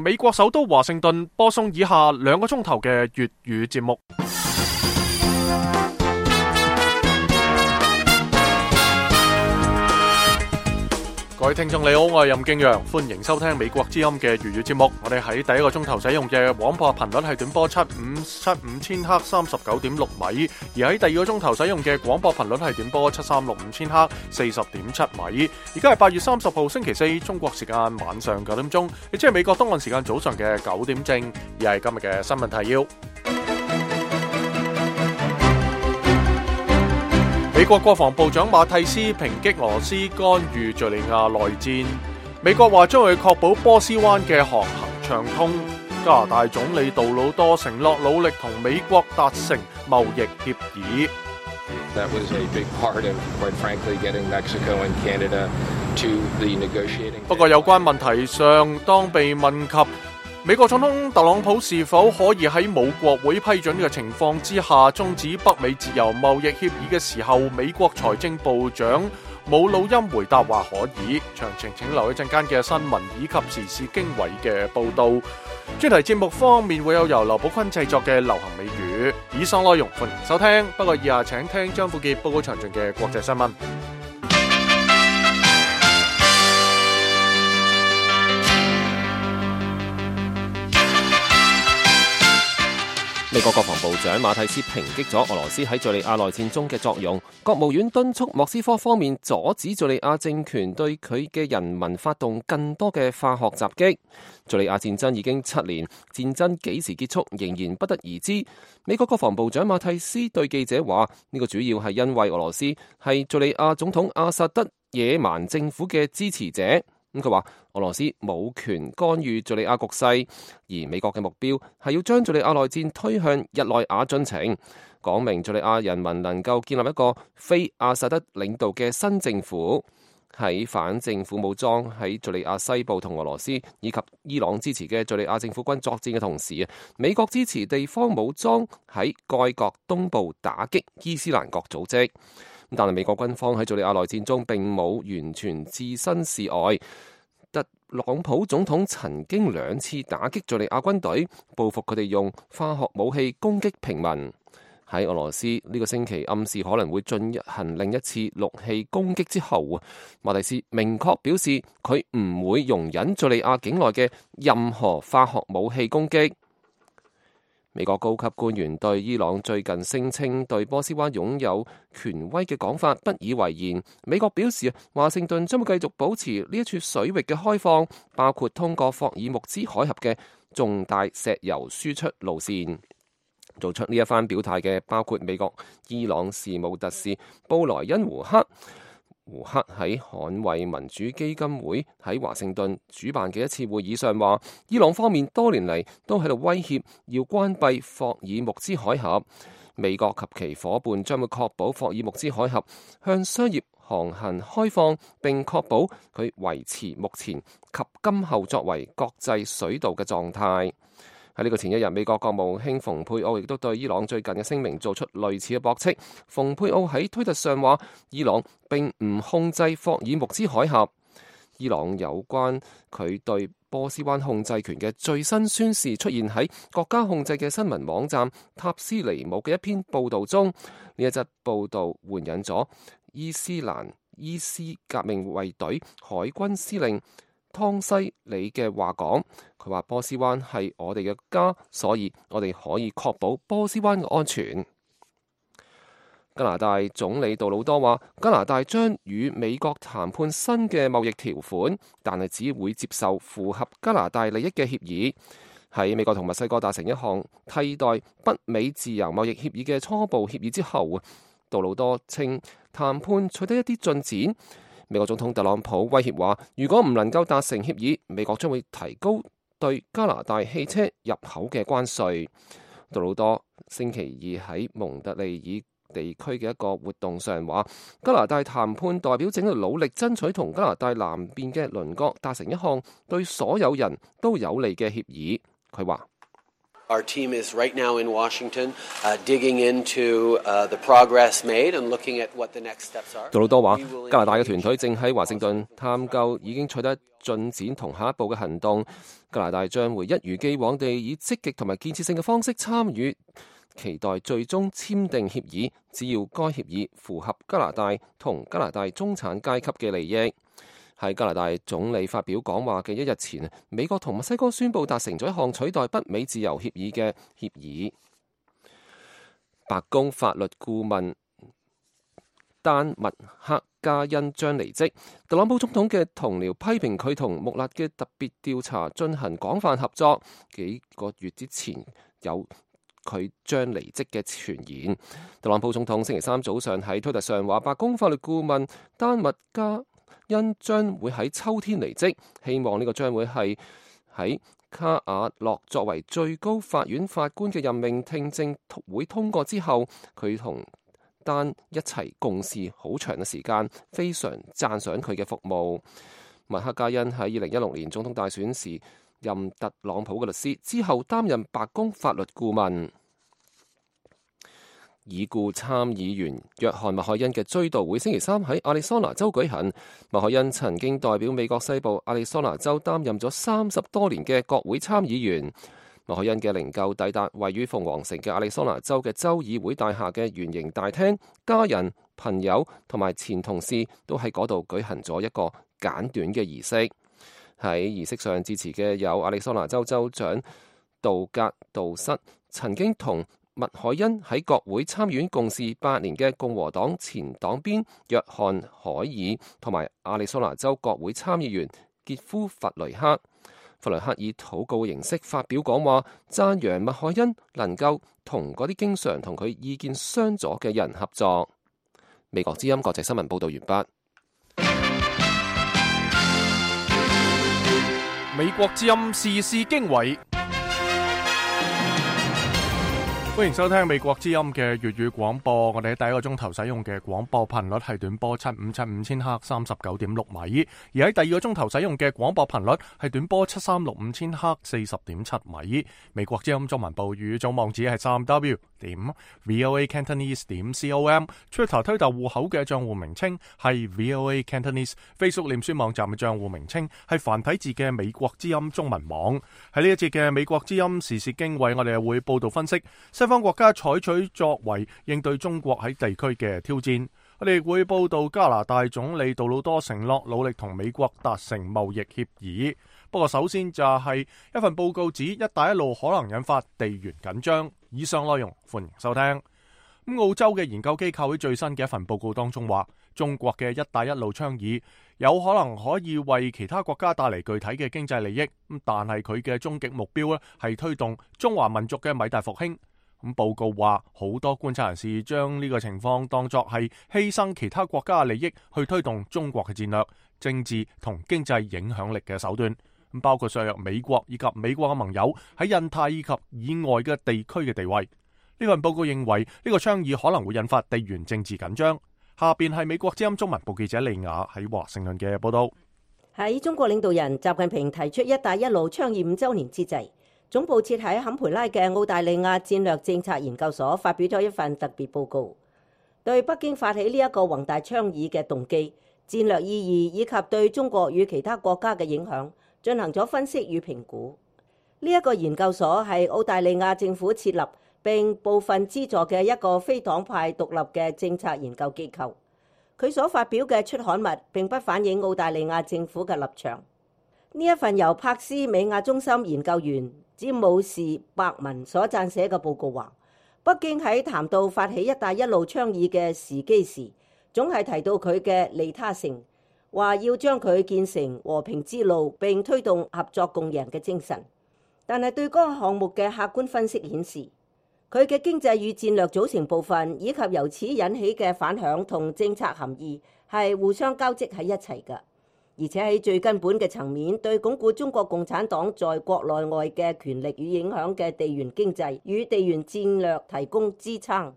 美國首都華盛頓播送以下2個鐘頭嘅粵語節目。各位聽眾你好，我係任敬陽，歡迎收聽美國之音嘅粵語節目。我哋喺第一個鐘頭使用嘅廣播頻率係短波7575000赫39.6米，而喺第二個鐘頭使用嘅廣播頻率係短波7365000赫40.7米。而家係8月30號星期四，中國時間晚上9點鐘，亦即係美國東岸時間早上嘅9點正。而係今日嘅新聞提要。美國國防部長馬蒂斯抨擊俄羅斯干預敘利亞內戰。美國話將會確保波斯灣嘅航行暢通。加拿大總理杜魯多承諾努力同美國達成貿易協議。That was a big part of, quite frankly, getting Mexico and Canada to the negotiating. 不過有關問題上，當被問及美國總統特朗普是否可以喺冇國會批准嘅情況之下終止北美自由貿易協議嘅時候，美國財政部長冇錄音回答話可以。詳情請留一陣間嘅新聞以及時事經緯嘅報道。專題節目方面會有由劉寶坤製作嘅流行美語。以上內容歡迎收聽，不過以下請聽張富傑報告詳盡嘅國際新聞。美國國防部長馬蒂斯抨擊咗俄羅斯喺敘利亞內戰中嘅作用，國務院敦促莫斯科方面阻止敘利亞政權對佢嘅人民發動更多嘅化學襲擊。敘利亞戰爭已經7年，戰爭幾時結束仍然不得而知。美國國防部長馬蒂斯對記者話：呢個主要係因為俄羅斯係敘利亞總統阿薩德野蠻政府嘅支持者。佢話俄羅斯冇權干預敘利亞局勢，而美國嘅目標係要將敘利亞內戰推向日內瓦進程，講明敘利亞人民能夠建立一個非阿薩德領導嘅新政府。喺反政府武裝喺敘利亞西部同俄羅斯以及伊朗支持嘅敘利亞政府軍作戰嘅同時，美國支持地方武裝喺該國東部打擊伊斯蘭國組織。但係美國軍方喺敘利亞內戰中並冇完全置身事外。特朗普總統曾經2次打擊敘利亞軍隊，報復佢哋用化學武器攻擊平民。喺俄羅斯呢個星期暗示可能會進行另一次陸氣攻擊之後，馬蒂斯明確表示佢唔會容忍敘利亞境內嘅任何化學武器攻擊。美國高級官員對伊朗最近聲稱對波斯灣擁有權威嘅講法不以為然。美國表示，華盛頓將會繼續保持呢一處水域嘅開放，包括通過霍爾木茲海峽嘅重大石油輸出路線。做出呢一番表態嘅包括美國伊朗事務特使布萊恩胡克。胡克喺捍衛民主基金會喺華盛頓主辦嘅一次會議上話，伊朗方面多年嚟都喺度威脅要關閉霍爾木茲海峽，美國及其夥伴將會確保霍爾木茲海峽向商業航行開放，並確保佢維持目前及今後作為國際水道嘅狀態。喺呢個前一日，美國國務卿蓬佩奧亦都對伊朗最近嘅聲明做出類似嘅駁斥。蓬佩奧喺推特上話，伊朗並唔控制霍爾木茲海峽。伊朗有關佢對波斯灣控制權嘅最新宣示出現喺國家控制嘅新聞網站塔斯尼姆嘅一篇報導中。呢一則報導援引咗伊斯蘭伊斯革命衛隊海軍司令湯西里嘅話講，佢話波斯灣係我哋嘅家，所以我哋可以確保波斯灣嘅安全。加拿大總理杜魯多話，加拿大將與美國談判新嘅貿易條款，但係只會接受符合加拿大利益嘅協議。喺美國同墨西哥達成一項替代北美自由貿易協議嘅初步協議之後，杜魯多稱談判取得一啲進展。美國總統特朗普威脅話，如果唔能夠達成協議，美國將會提高對加拿大汽車入口嘅關稅。杜魯多星期二喺蒙特利爾地區嘅一個活動上話，加拿大談判代表正喺度努力爭取同加拿大南邊嘅鄰國達成一項對所有人都有利嘅協議。佢話 Our team is right now in Washington, digging into the progress made and looking at what the next steps are. 杜魯多話，加拿大嘅團隊正喺華盛頓探究已經取得進展同下一步嘅行動。加拿大將會一如既往地以積極同埋建設性嘅方式參與，期待最終簽訂協議，只要該協議符合加拿大同加拿大中產階級嘅利益。喺加拿大總理發表講話嘅一日前，美國同墨西哥宣布達成咗一項取代北美自由協議嘅協議。白宮法律顧問丹麥克加恩將離職，特朗普總統嘅同僚批評佢同穆勒嘅特別調查進行廣泛合作。幾個月之前有佢將離職嘅傳言。特朗普總統星期三早上喺推特上話，白宮法律顧問丹麥加恩將會喺秋天離職，希望呢個將會係喺卡瓦諾作為最高法院法官嘅任命聽證會通過之後，佢同丹一齊共事好長嘅時間，非常讚賞佢嘅服務。麥克加恩喺2016年總統大選時任特朗普嘅律師，之後擔任白宮法律顧問。已故參議員約翰麥凱恩嘅追悼會星期三喺亞利桑那州舉行。麥凱恩曾經代表美國西部亞利桑那州擔任咗30多年嘅國會參議員。麥凱恩嘅靈柩抵達位於鳳凰城嘅亞利桑那州嘅州議會大廈嘅圓形大廳，家人、朋友同埋前同事都喺嗰度舉行咗一個簡短嘅儀式。喺儀式上致辭嘅有亞利桑那州州長杜格杜瑟，曾經同麥凱恩喺國會參議院共事8年嘅共和黨前黨鞭約翰海爾，同埋亞利桑那州國會參議員傑夫弗雷克。弗雷克以禱告形式發表講話，讚揚麥凱恩能夠同嗰啲經常同佢意見相左嘅人合作。美國之音國際新聞報道完畢。美國之音時事經緯。歡迎收聽美國之音嘅粵語廣播。我哋喺第一個鐘頭使用嘅廣播頻率係短波7575千赫39.6米，而喺第二個鐘頭使用嘅廣播頻率係短波7365千赫40.7米。美國之音中文部語總網址係3w.voacantonese.com，Twitter 推特戶口嘅賬戶名稱係 VOA Cantonese，Facebook 臉書網站嘅賬戶名稱係繁體字嘅美國之音中文網。喺呢一節嘅美國之音時事經緯，我哋會報道分析西方國家採取作為應對中國喺地區嘅挑戰。我哋會報道加拿大總理杜魯多承諾努力同美國達成貿易協議。不過首先就係一份報告指一帶一路可能引發地緣緊張。以上內容歡迎收聽。澳洲嘅研究機構喺最新嘅一份報告當中話，中國嘅一帶一路倡議有可能可以為其他國家帶嚟具體嘅經濟利益，但係佢嘅終極目標係推動中華民族嘅偉大復興。報告話，好多觀察人士將呢個情況當作係犧牲其他國家嘅利益去推動中國嘅戰略、政治同經濟影響力嘅手段，包括削弱美國以及美國嘅盟友喺印太以及以外嘅地區嘅地位。呢份報告認為呢個倡議可能會引發地緣政治緊張。下邊係美國之音中文部記者利亞喺華盛頓嘅報道。喺中國領導人習近平提出一帶一路倡議5週年之際，總部設喺坎培拉嘅澳大利亞戰略政策研究所發表咗一份特別報告，對北京發起呢一個宏大倡議嘅動機、戰略意義以及對中國與其他國家嘅影響進行咗分析與評估。呢一個研究所係澳大利亞政府設立並部分資助嘅一個非黨派獨立嘅政策研究機構，佢所發表嘅出刊物並不反映澳大利亞政府嘅立場。呢一份由柏斯美亞中心研究員詹姆士伯文所撰寫嘅報告話，北京喺談到發起一帶一路倡議嘅時機時，總係提到佢嘅利他性，話要將佢建成和平之路並推動合作共贏嘅精神。但係對嗰個項目嘅客觀分析顯示，佢嘅經濟與戰略組成部分以及由此引起嘅反響同政策含義係互相交織喺一齊嘅。而且喺最根本嘅層面，對鞏固中國共產黨在國內外嘅權力與影響嘅地緣經濟與地緣戰略提供支撐。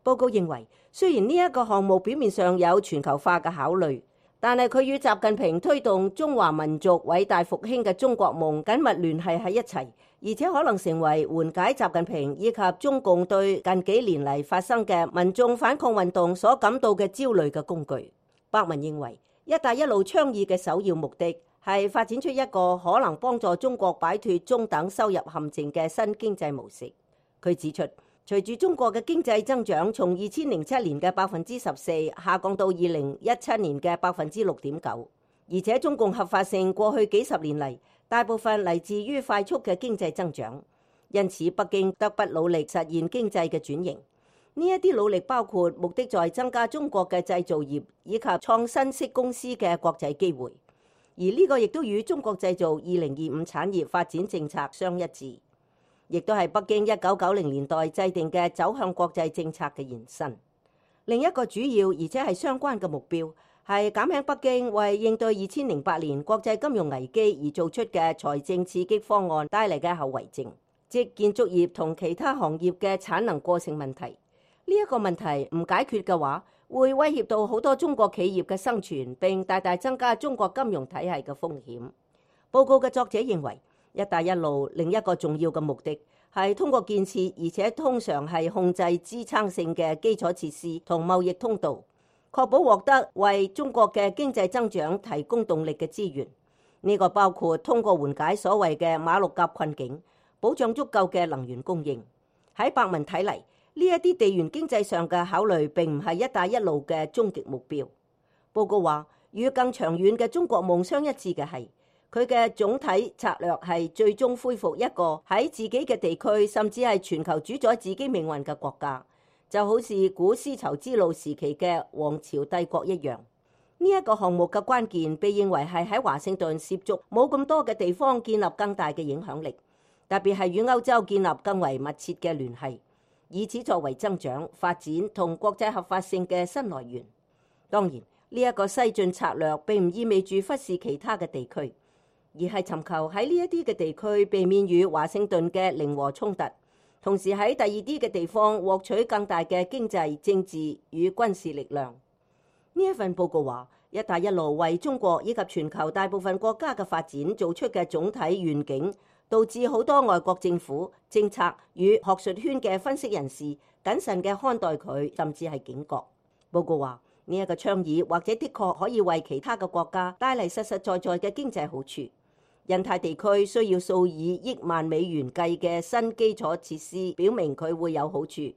報告認為，雖然呢一個項目表面上有全球化嘅考慮，但係佢與習近平推動中華民族偉大復興嘅中國夢緊密聯繫喺一齊，而且可能成為緩解習近平以及中共對近幾年嚟發生嘅民眾反抗運動所感到嘅焦慮嘅工具。伯文認為，一帶一路倡議嘅首要目的係發展出一個可能幫助中國擺脫中等收入陷阱嘅新經濟模式。佢指出，隨住中國嘅經濟增長從2007年嘅14%下降到2017年嘅6.9%，而且中共合法性過去幾十年嚟大部分嚟自於快速嘅經濟增長，因此北京得不努力實現經濟嘅轉型。呢一啲努力包括目的在增加中國嘅製造業以及創新式公司嘅國際機會，而呢個亦都與中國製造2025產業發展政策相一致，亦都係北京1990年代制定嘅走向國際政策嘅延伸。另一個主要而且係相關嘅目標係減輕北京為應對2008年國際金融危機而做出嘅財政刺激方案帶嚟嘅後遺症，即建築業同其他行業嘅產能過剩問題。呢一個問題唔解決嘅話，會威脅到好多中國企業嘅生存，並大大增加中國金融體系嘅風險。報告嘅作者認為，一帶一路另一個重要嘅目的係通過建設，而且通常係控制支撐性嘅基礎設施同貿易通道，確保獲得為中國嘅經濟增長提供動力嘅資源。呢個包括通過緩解所謂嘅馬六甲困境，保障足夠嘅能源供應。喺伯文睇嚟，呢一啲地緣經濟上嘅考慮並唔係一帶一路嘅終極目標。報告話，與更長遠嘅中國夢相一致嘅係，佢嘅總體策略係最終恢復一個喺自己嘅地區甚至係全球主宰自己命運嘅國家，就好似古絲綢之路時期嘅王朝帝國一樣。呢一個項目嘅關鍵被認為係喺華盛頓涉足冇咁多嘅地方建立更大嘅影響力，特別係與歐洲建立更為密切嘅聯繫，以此作為增長、發展同國際合法性嘅新來源。當然，呢一個西進策略並唔意味住忽視其他嘅地區，而係尋求喺呢一啲嘅地區避免與華盛頓嘅零和衝突，同時喺第二啲嘅地方獲取更大嘅經濟、政治與軍事力量。呢一份報告話，一帶一路為中國以及全球大部分國家嘅發展做出嘅總體願景，導致好多外國政府、政策與學術圈嘅分析人士謹慎嘅看待佢，甚至係警覺。報告話，呢一個倡議或者的確可以為其他嘅國家帶嚟實實在在嘅經濟好處。印太地區需要數以億萬美元計嘅新基礎設施，表明佢會有好處，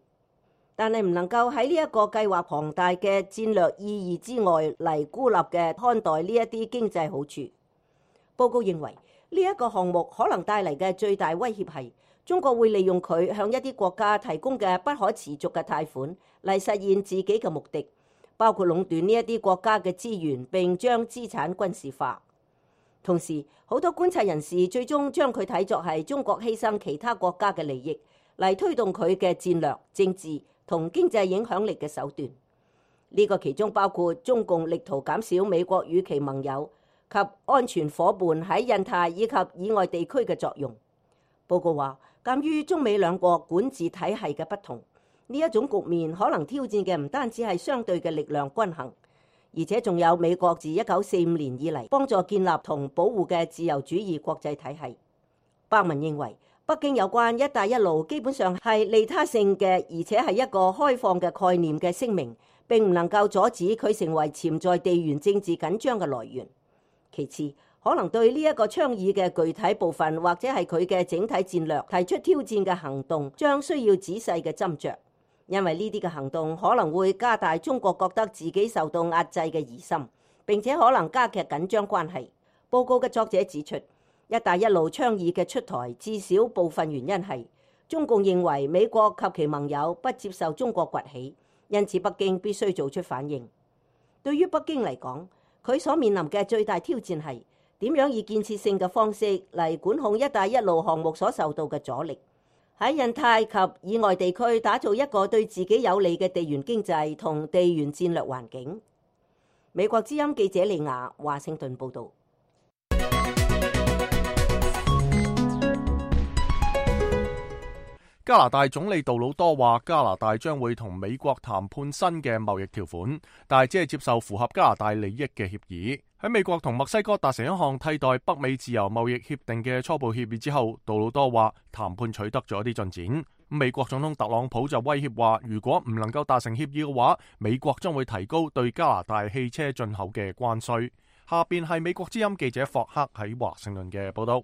但係唔能夠喺呢一個計劃龐大嘅戰略意義之外嚟孤立嘅看待呢一啲經濟好處。報告認為，呢一個項目可能帶嚟嘅最大威脅係中國會利用佢向一啲國家提供嘅不可持續嘅貸款嚟實現自己嘅目的，包括壟斷呢一啲國家嘅資源並將資產軍事化。同時，好多觀察人士最終將佢睇作係中國犧牲其他國家嘅利益嚟推動佢嘅戰略、政治同經濟影響力嘅手段。呢個其中包括中共力圖減少美國與其盟友及安全夥伴喺印太以及以外地區嘅作用。報告話，鑑於中美兩國管治體系嘅不同，呢一種局面可能挑戰嘅唔單止係相對嘅力量均衡，而且仲有美國自1945年以嚟幫助建立同保護嘅自由主義國際體系。伯文認為，北京有關一帶一路基本上係利他性嘅，而且係一個開放嘅概念嘅聲明，並唔能夠阻止佢成為潛在地緣政治緊張嘅來源。其次，可能對呢一個倡議嘅具體部分或者係佢嘅整體戰略提出挑戰嘅行動，將需要仔細嘅斟酌，因為呢啲嘅行動可能會加大中國覺得自己受到壓制嘅疑心，並且可能加劇緊張關係。報告嘅作者指出，一帶一路倡議嘅出台至少部分原因係中共認為美國及其盟友不接受中國崛起，因此北京必須做出反應。對於北京嚟講，佢所面臨嘅最大挑戰係點樣以建設性嘅方式嚟管控一帶一路項目所受到嘅阻力，喺印太及以外地區打造一個對自己有利嘅地緣經濟同地緣戰略環境。美國之音記者利亞華盛頓報導。加拿大總理杜魯多話，加拿大將會同美國談判新嘅貿易條款，但係只係接受符合加拿大利益嘅協議。喺美國同墨西哥達成一項替代北美自由貿易協定嘅初步協議之後，杜魯多話談判取得咗啲進展。美國總統特朗普就威脅話，如果唔能夠達成協議嘅話，美國將會提高對加拿大汽車進口嘅關稅。下邊係美國之音記者霍克喺華盛頓嘅報道。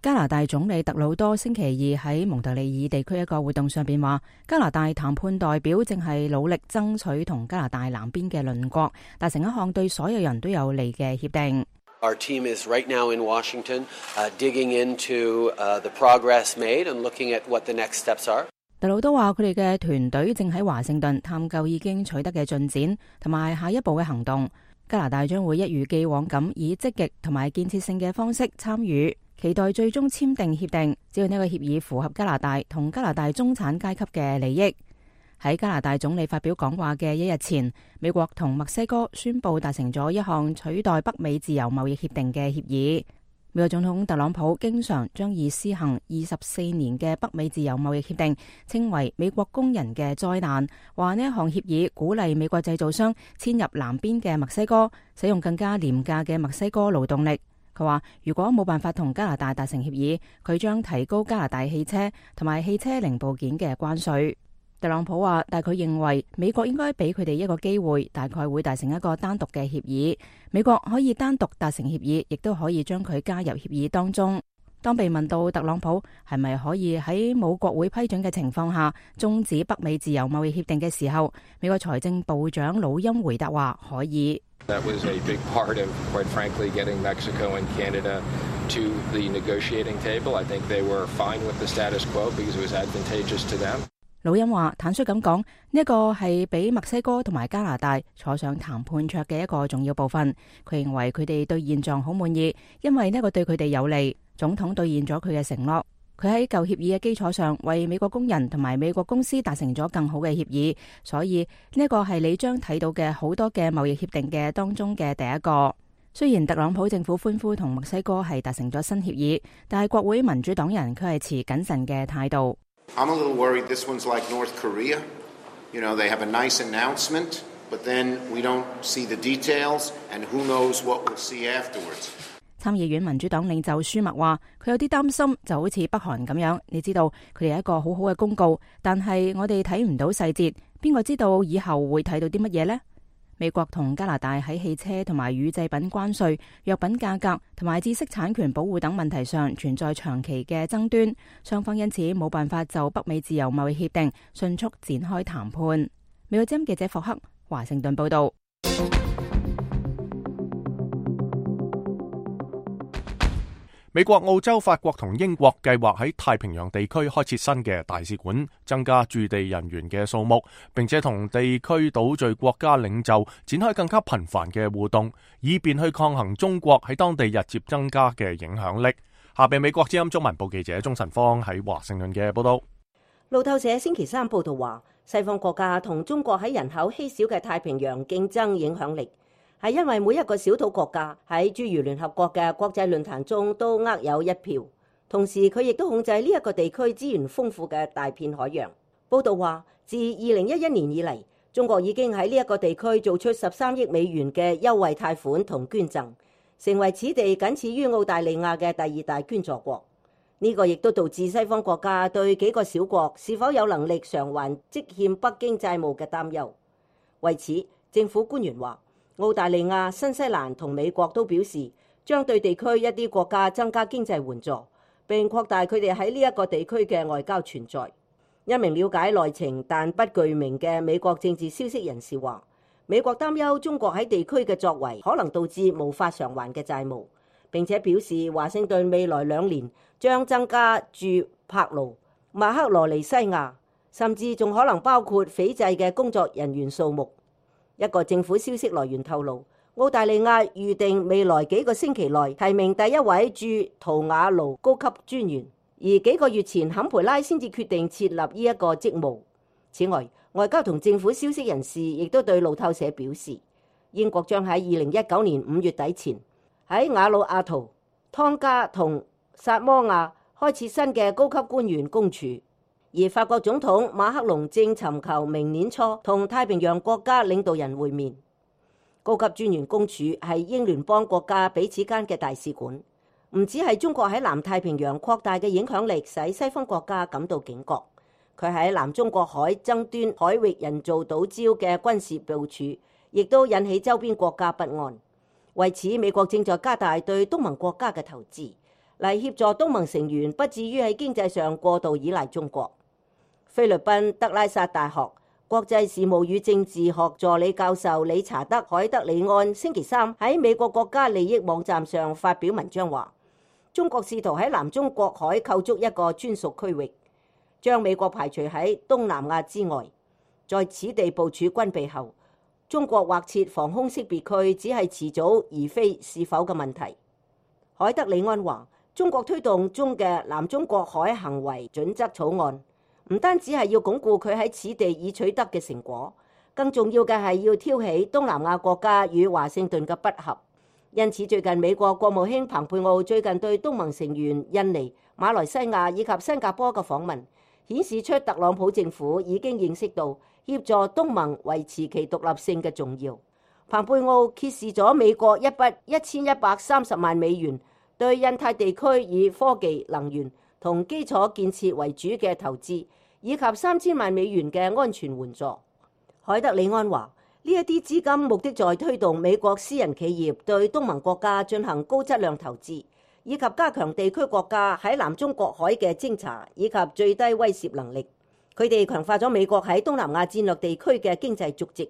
加拿大總理特魯多星期二喺蒙特利爾地區一個活動上邊話，加拿大談判代表正係努力爭取同加拿大南邊嘅鄰國達成一項對所有人都有利嘅協定。Our team is right now in Washington, digging into the progress made and looking at what the next steps are. 特魯多話，佢哋嘅團隊正喺華盛頓探究已經取得嘅進展同埋下一步嘅行動。加拿大將會一如既往咁以積極同埋建設性嘅方式參與，期待最終簽訂協定，只要呢個協議符合加拿大同加拿大中產階級嘅利益。喺加拿大總理發表講話嘅一日前，美國同墨西哥宣布達成咗一項取代北美自由貿易協定嘅協議。美國總統特朗普經常將以施行24年嘅北美自由貿易協定稱為美國工人嘅災難，話呢一項協議鼓勵美國製造商遷入南邊嘅墨西哥，使用更加廉價嘅墨西哥勞動力。佢話如果冇辦法同加拿大達成協議，佢將提高加拿大汽車同埋汽車零部件嘅關稅。特朗普話，但佢認為美國應該俾佢哋一個機會，大概會達成一個單獨嘅協議。美國可以單獨達成協議，亦都可以將佢加入協議當中。當被問到特朗普係咪可以喺冇國會批准嘅情況下終止北美自由貿易協定嘅時候，美國財政部長魯欽回答話可以。That was a big part of, quite frankly, getting Mexico and Canada to the negotiating table. I think they were fine with the status quo because it was advantageous to them. 魯欽話：坦率咁講，呢一個係俾墨西哥同埋加拿大坐上談判桌嘅一個重要部分。佢認為佢哋對現狀好滿意，因為呢個對佢哋有利。總統兌現咗佢嘅承諾。佢喺舊協議嘅基礎上，為美國工人同埋美國公司達成咗更好嘅協議。所以呢一個係你將睇到嘅好多嘅貿易協定嘅當中嘅第一個。雖然特朗普政府歡呼同墨西哥係達成咗新協議，但係國會民主黨人卻係持謹慎嘅態度。I'm a little worried this one's like North Korea. You know, they have a nice announcement, but then we don't see the details, and who knows what we'll see afterwards. 參議院民主黨領袖舒默話：佢有啲擔心，就好似北韓咁樣。你知道佢哋有一個好好嘅公告，但係我哋睇唔到細節，邊個知道以後會睇到啲乜嘢呢？美國同加拿大喺汽車同埋乳製品關稅、藥品價格同埋知識產權保護等問題上存在長期嘅爭端，雙方因此冇辦法就北美自由貿易協定迅速展開談判。美國之音記者霍克華盛頓報道。美國、澳洲、法國同英國計劃喺太平洋地區開設新嘅大使館，增加駐地人員嘅數目，並且同地區島嶼國家領袖展開更加頻繁嘅互動，以便去抗衡中國喺當地日漸增加嘅影響力。下邊美國之音中文部記者鍾晨芳喺華盛頓嘅報道。路透社星期三報道話，西方國家同中國喺人口稀少嘅太平洋競爭影響力，係因為每一個小島國家喺諸如聯合國嘅國際論壇中都握有一票，同時佢亦都控制呢一個地區資源豐富嘅大片海洋。報道話，自2011年以嚟，中國已經喺呢一個地區做出13億美元嘅優惠貸款同捐贈，成為此地僅次於澳大利亞嘅第二大捐助國。呢個亦都導致西方國家對幾個小國是否有能力償還積欠北京債務嘅擔憂。為此，政府官員話，澳大利亞、新西蘭同美國都表示將對地區一啲國家增加經濟援助，並擴大佢哋喺呢一個地區嘅外交存在。一名了解內情但不具名嘅美國政治消息人士話，美國擔憂中國喺地區嘅作為可能導致無法償還嘅債務，並且表示華盛頓未來2年將增加駐柏勞、馬克羅尼西亞，甚至仲可能包括斐濟嘅工作人員數目。一個政府消息來源透露，澳大利亞預定未來幾個星期內提名第一位駐圖瓦盧高級專員，而幾個月前坎培拉先至決定設立呢一個職務。此外，外交同政府消息人士亦都對路透社表示，英國將喺2019年5月底前喺瓦努阿圖、湯加同薩摩亞開設新嘅高級官員公署。而法國總統馬克龍正尋求明年初同太平洋國家領導人會面。高級專員公署係英聯邦國家彼此間嘅大使館，唔止係中國喺南太平洋擴大嘅影響力使西方國家感到警覺，佢喺南中國海爭端海域人造島礁嘅軍事部署，亦都引起周邊國家不安。為此，美國正在加大對東盟國家嘅投資，嚟協助東盟成員不至於喺經濟上過度依賴中國。菲律賓德拉薩大學國際事務與政治學助理教授理查德·海德里安星期三喺美國國家利益網站上發表文章話，中國試圖喺南中國海構築一個專屬區域，將美國排除喺東南亞之外。在此地部署軍備後，中國劃設防空識別區只係遲早而非是否嘅問題。海德里安話，中國推動中嘅南中國海行為準則草案，唔單止係要鞏固佢喺此地已取得嘅成果，更重要嘅係要挑起東南亞國家與華盛頓嘅不合。因此，最近美國國務卿蓬佩奧最近對東盟成員印尼、馬來西亞以及新加坡嘅訪問，顯示出特朗普政府已經認識到協助東盟維持其獨立性嘅重要。蓬佩奧揭示咗美國一筆1130萬美元對印太地區以科技、能源同基礎建設為主嘅投資，以及3000萬美元嘅安全援助。海德里安話，呢一啲資金目的在推動美國私人企業對東盟國家進行高質量投資，以及加強地區國家喺南中國海嘅偵查以及最低威懾能力。佢哋強化咗美國喺東南亞戰略地區嘅經濟足跡，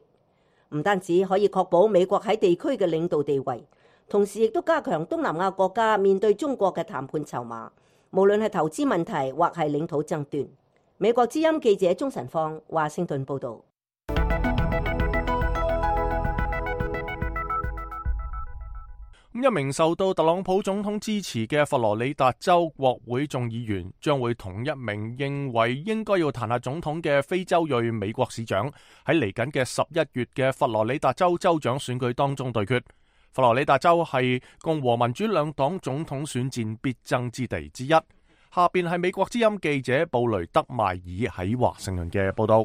唔單止可以確保美國喺地區嘅領導地位，同時亦都加強東南亞國家面對中國嘅談判籌碼，無論係投資問題或係領土爭端。美國之音記者鍾晨放華盛頓報導。一名受到特朗普總統支持嘅佛羅里達州國會眾議員將會同一名認為應該要彈劾總統嘅非洲裔美國市長喺嚟緊嘅11月嘅佛羅里達州州長選舉當中對決。佛羅里達州係共和民主兩黨總統選戰必爭之地之一。下邊係美國之音記者布雷德邁爾喺華盛頓嘅報道。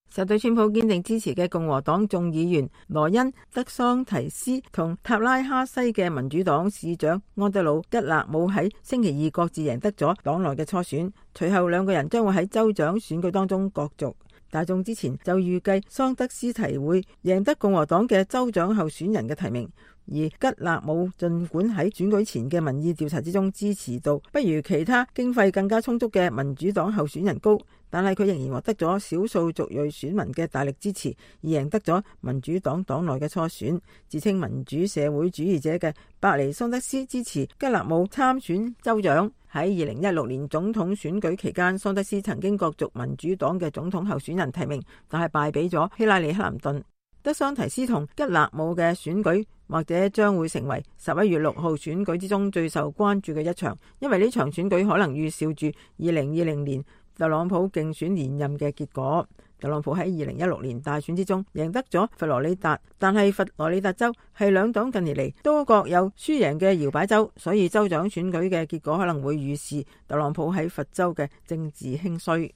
受對川普堅定支持嘅共和黨眾議員羅恩·德桑提斯同塔拉哈西嘅民主黨市長安德魯·吉勒姆喺星期二各自贏得咗黨內嘅初選，隨後兩個人將會喺州長選舉當中角逐。大眾之前就預計桑德斯提會贏得共和黨嘅州長候選人嘅提名，而吉勒姆儘管喺選舉前嘅民意調查之中支持度不如其他經費更加充足嘅民主黨候選人高，但係佢仍然獲得咗少數族裔選民嘅大力支持，而贏得咗民主黨黨內嘅初選。自稱民主社會主義者嘅伯尼桑德斯支持吉勒姆參選州長。喺2016年總統選舉期間，桑德斯曾經角逐民主黨嘅總統候選人提名，但係敗俾咗希拉里·克林頓。德桑提斯同吉勒姆嘅選舉或者將會成為11月6號選舉之中最受關注嘅一場，因為呢場選舉可能預兆住2020年特朗普競選連任嘅結果。特朗普喺2016年大選之中贏得咗佛羅里達，但係佛羅里達州係兩黨近年嚟都各有輸贏嘅搖擺州，所以州長選舉嘅結果可能會預示特朗普喺佛州嘅政治興衰。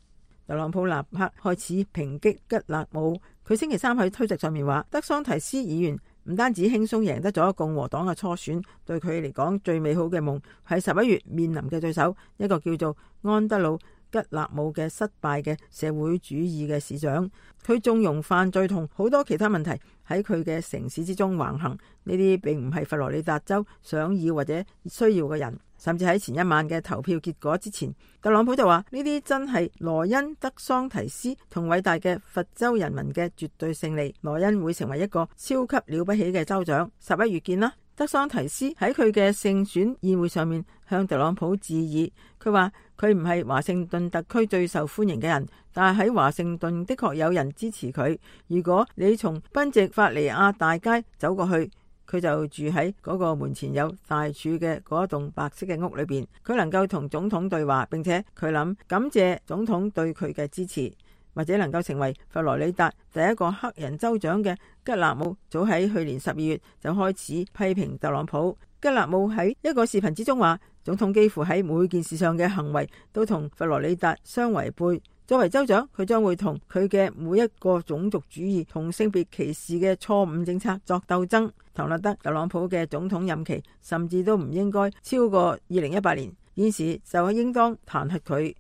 特朗普立刻開始抨擊吉勒姆，佢星期三喺推特上面話，德桑提斯議員唔單止輕鬆贏得咗共和黨嘅初選，對佢嚟講最美好嘅夢係11月面臨嘅對手，一個叫做安德魯吉勒姆嘅失敗嘅社會主義嘅市長。佢縱容犯罪同好多其他問題喺佢嘅城市之中橫行，呢啲並唔係佛羅里達州想要或者需要嘅人。甚至喺前一晚嘅投票結果之前，特朗普就話呢啲真係羅恩德桑提斯同偉大嘅佛州人民嘅絕對勝利，羅恩會成為一個超級了不起嘅州長。11月見啦。德桑提斯喺佢嘅勝選宴會上面向特朗普致意，佢話佢唔係華盛頓特區最受歡迎嘅人，但係喺華盛頓的確有人支持佢。如果你從賓夕法尼亞大街走過去，佢就住喺嗰個門前有大柱嘅嗰一棟白色嘅屋裏邊，佢能夠同總統對話，並且佢諗感謝總統對佢嘅支持。或者能夠成為佛羅里達第一個黑人州長嘅吉勒姆，早喺去年12月就開始批評特朗普。吉勒姆喺一個視頻之中話，總統幾乎喺每件事上嘅行為都同佛羅里達相違背。作為州長，佢將會同佢嘅每一個種族主義同性別歧視嘅錯誤政策作鬥爭。唐納德·特朗普嘅總統任期甚至都唔應該超過2018年，現時就應當彈劾佢。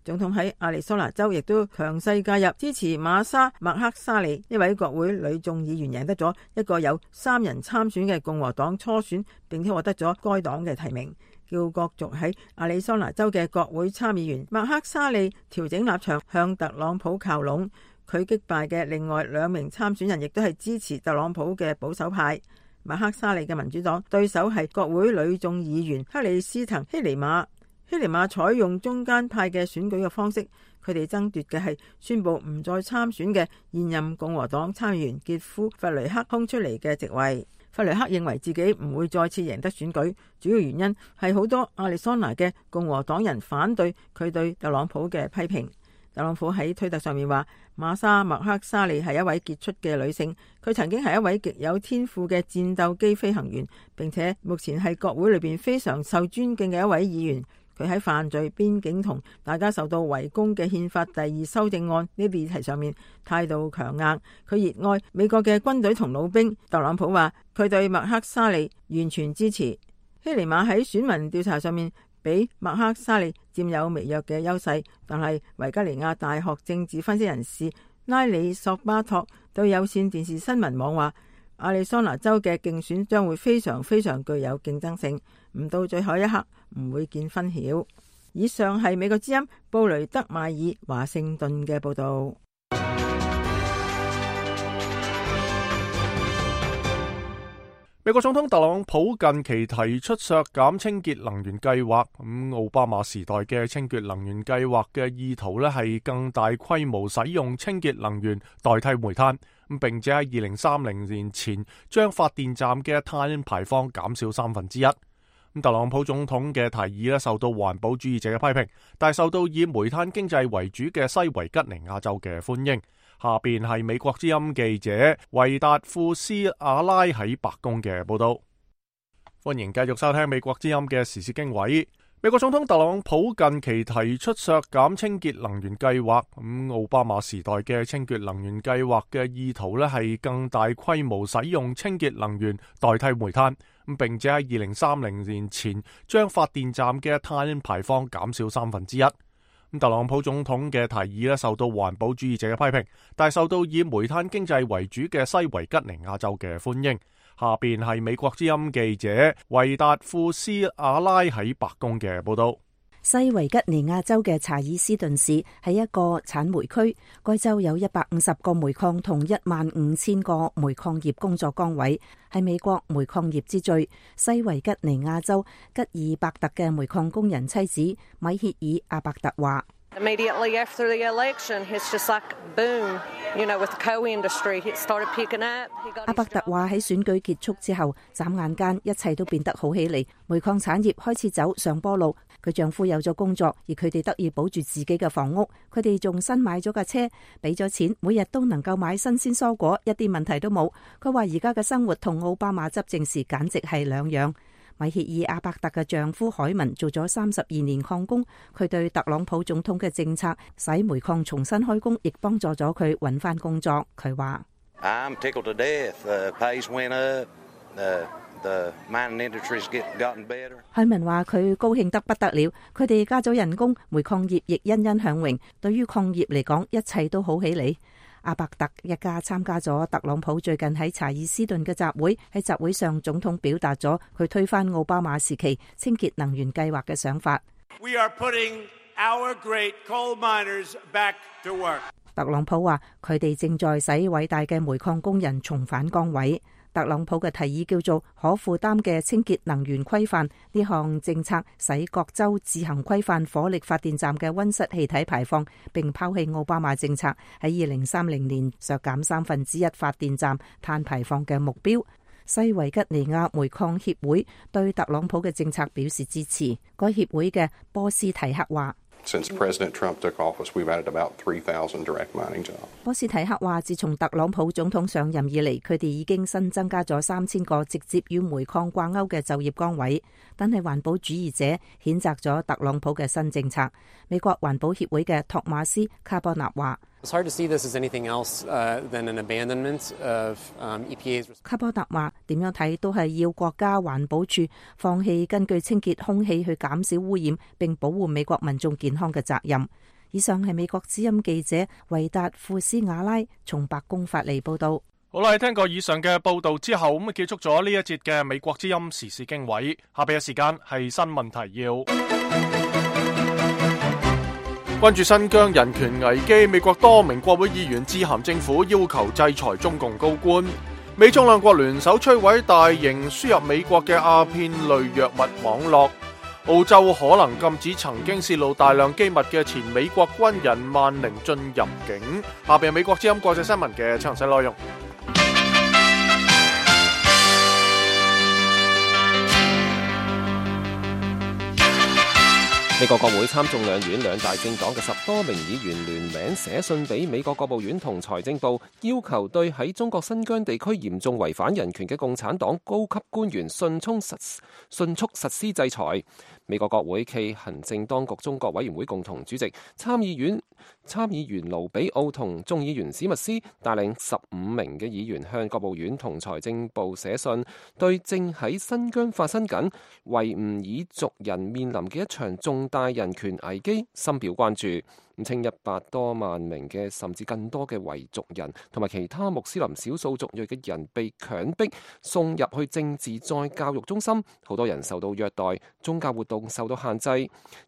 總統喺亞利桑那州亦都強勢介入，支持瑪莎·麥克沙利一位國會女眾議員贏得咗一個有3人參選嘅共和黨初選，並且獲得咗該黨嘅提名，叫角逐喺亞利桑那州嘅國會參議員麥克沙利調整立場，向特朗普靠攏。佢擊敗嘅另外2名參選人亦都係支持特朗普嘅保守派。麥克沙利嘅民主黨對手係國會女眾議員克里斯滕希尼瑪。希尼瑪採用中間派嘅選舉嘅方式，佢哋爭奪嘅係宣布唔再參選嘅現任共和黨參議員傑夫·弗雷克空出嚟嘅席位。弗雷克認為自己唔會再次贏得選舉，主要原因係好多亞利桑那嘅共和黨人反對佢對特朗普嘅批評。特朗普喺推特上面話，瑪莎·麥克沙利係一位傑出嘅女性，佢曾經係一位極有天賦嘅戰鬥機飛行員，並且目前係國會裏邊非常受尊敬嘅一位議員。佢喺犯罪、邊境同大家受到圍攻嘅憲法第2修正案呢啲議題上面態度強硬。佢熱愛美國嘅軍隊同老兵。特朗普話佢對麥克沙利完全支持。希尼瑪喺選民調查上面比麥克沙利佔有微弱嘅優勢，但係維吉尼亞大學政治分析人士拉里索巴托對有線電視新聞網話，亞利桑那州嘅競選將會非常非常具有競爭性，唔到最後一刻唔會見分曉。以上係美國之音布雷德邁爾華盛頓嘅報道。美國總統特朗普近期提出削減清潔能源計劃，奧巴馬時代嘅清潔能源計劃嘅意圖呢係更大規模使用清潔能源代替煤炭，並且喺2030年前將發電站嘅碳排放減少1/3。特朗普總統嘅提議呢受到環保主義者嘅批評，但係受到以煤炭經濟為主嘅西維吉尼亞州嘅歡迎。下邊係美國之音記者維達富斯阿拉喺白宮嘅報道。歡迎繼續收聽美國之音嘅時事經緯。美國總統特朗普近期提出削減清潔能源計劃，奧巴馬時代嘅清潔能源計劃嘅意圖呢係更大規模使用清潔能源代替煤炭，並且喺2030年前將發電站嘅碳排放減少1/3。特朗普總統嘅提議呢受到環保主義者嘅批評，但係受到以煤炭經濟為主嘅西維吉尼亞州嘅歡迎。下邊係美國之音記者維達富斯阿拉喺白宮嘅報道。西維吉尼亞州嘅查爾斯頓市係一個產煤區，該州有150個煤礦同15000個煤礦業工作崗位，係美國煤礦業之最。西維吉尼亞州吉爾伯特嘅煤礦工人妻子米歇爾·阿伯特話：Immediately after the election, it's just like boom, you know, with the coal industry, it started picking up. 阿伯特話喺選舉結束之後，眨眼間一切都變得好起嚟，煤礦產業開始走上坡路。佢丈夫有咗工作，而佢哋得以保住自己嘅房屋。佢哋仲新買咗架車，俾咗錢，每日都能夠買新鮮蔬果，一啲問題都冇。佢話而家嘅生活同奧巴馬執政時簡直係兩樣。米歇爾阿伯特嘅丈夫海文做咗32年礦工，佢對特朗普總統嘅政策使煤礦重新開工，亦幫助咗佢揾翻工作。佢話：I'm tickled to death. Pays went up. The mining industry's gotten better. 海文話佢高興得不得了，佢哋加咗人工，煤礦業亦欣欣向榮。對於礦業嚟講，一切都好起嚟。阿伯特一家參加咗特朗普最近喺查爾斯頓嘅集會，喺集會上總統表達咗佢推翻奧巴馬時期清潔能源計劃嘅想法。We are putting our great coal miners back to work. 特朗普話佢哋正在使偉大嘅煤礦工人重返崗位。特朗普嘅提議叫做可負擔嘅清潔能源規範，呢項政策使各州自行規範火力發電站嘅溫室氣體排放，並拋棄奧巴馬政策喺2030年削減1/3發電站碳排放嘅目標。西維吉尼亞煤礦協會對特朗普嘅政策表示支持。該協會嘅波斯提克話 Since President Trump took office, we've added about 3,000 direct mining jobs. 波斯提克話，自從特朗普總統上任以嚟，佢哋已經新增加咗3000個直接與煤礦掛鈎嘅就業崗位。但係環保主義者譴責咗特朗普嘅新政策。美國環保協會嘅托馬斯卡波納話。It's hard to see this as anything else than an abandonment of EPA's. 卡波特話：點樣睇都係要國家環保署放棄根據清潔空氣去減少污染並保護美國民眾健康嘅責任。以上係美國之音記者維達庫斯瓦拉從白宮發嚟報導。好啦，聽過以上嘅報導之後，咁結束咗呢一節嘅美國之音時事經緯。下邊嘅時間係新聞提要。關注新疆人權危機，美國多名國會議員致函政府，要求制裁中共高官。美中兩國聯手摧毀大型輸入美國嘅鴉片類藥物網絡。澳洲可能禁止曾經泄露大量機密嘅前美國軍人萬寧進入境。下邊係美國之音國際新聞嘅詳細內容。美國國會參眾兩院兩大政黨嘅10多名議員聯名寫信俾美國國務院同財政部，要求對喺中國新疆地區嚴重違反人權嘅共產黨高級官員迅速實施制裁。美國國會暨行政當局中國委員會共同主席參議員盧比奧同眾議員史密斯帶領15名嘅議員向國務院同財政部寫信，對正喺新疆發生緊維吾爾族人面臨嘅一場重大人權危機深表關注。稱100多萬名嘅甚至更多嘅維族人同埋其他穆斯林少數族裔嘅人被強迫送入去政治再教育中心，好多人受到虐待，宗教活動受到限制。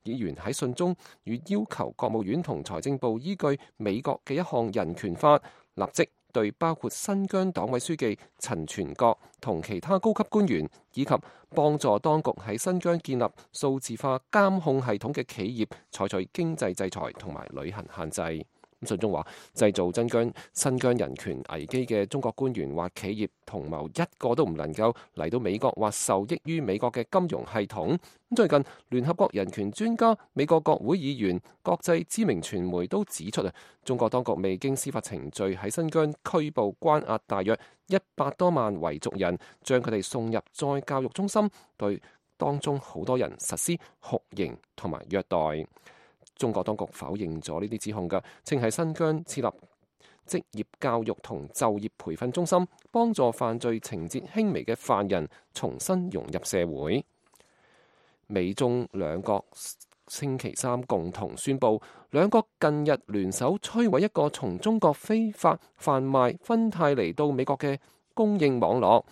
議員喺信中與要求國務院同財政部依據美國嘅一項人權法，立即對包括新疆黨委書記陳全國同其他高級官員，以及幫助當局喺新疆建立數字化監控系統嘅企業採取經濟制裁同埋旅行限制。信中話，製造新疆人權危機嘅中國官員或企業同謀一個都唔能夠嚟到美國或受益於美國嘅金融系統。最近聯合國人權專家、美國國會議員、國際知名傳媒都指出中國當局未經司法程序喺新疆拘捕關押大約100多萬維族人，將佢哋送入再教育中心，對當中好多人實施酷刑同埋虐待。中國當局否認咗呢啲指控嘅，稱喺新疆設立職業教育同就業培訓中心，幫助犯罪情節輕微嘅犯人重新融入社會。美中兩國星期三共同宣布，兩國近日聯手摧毀一個從中國非法販賣芬太尼到美國嘅供應網絡。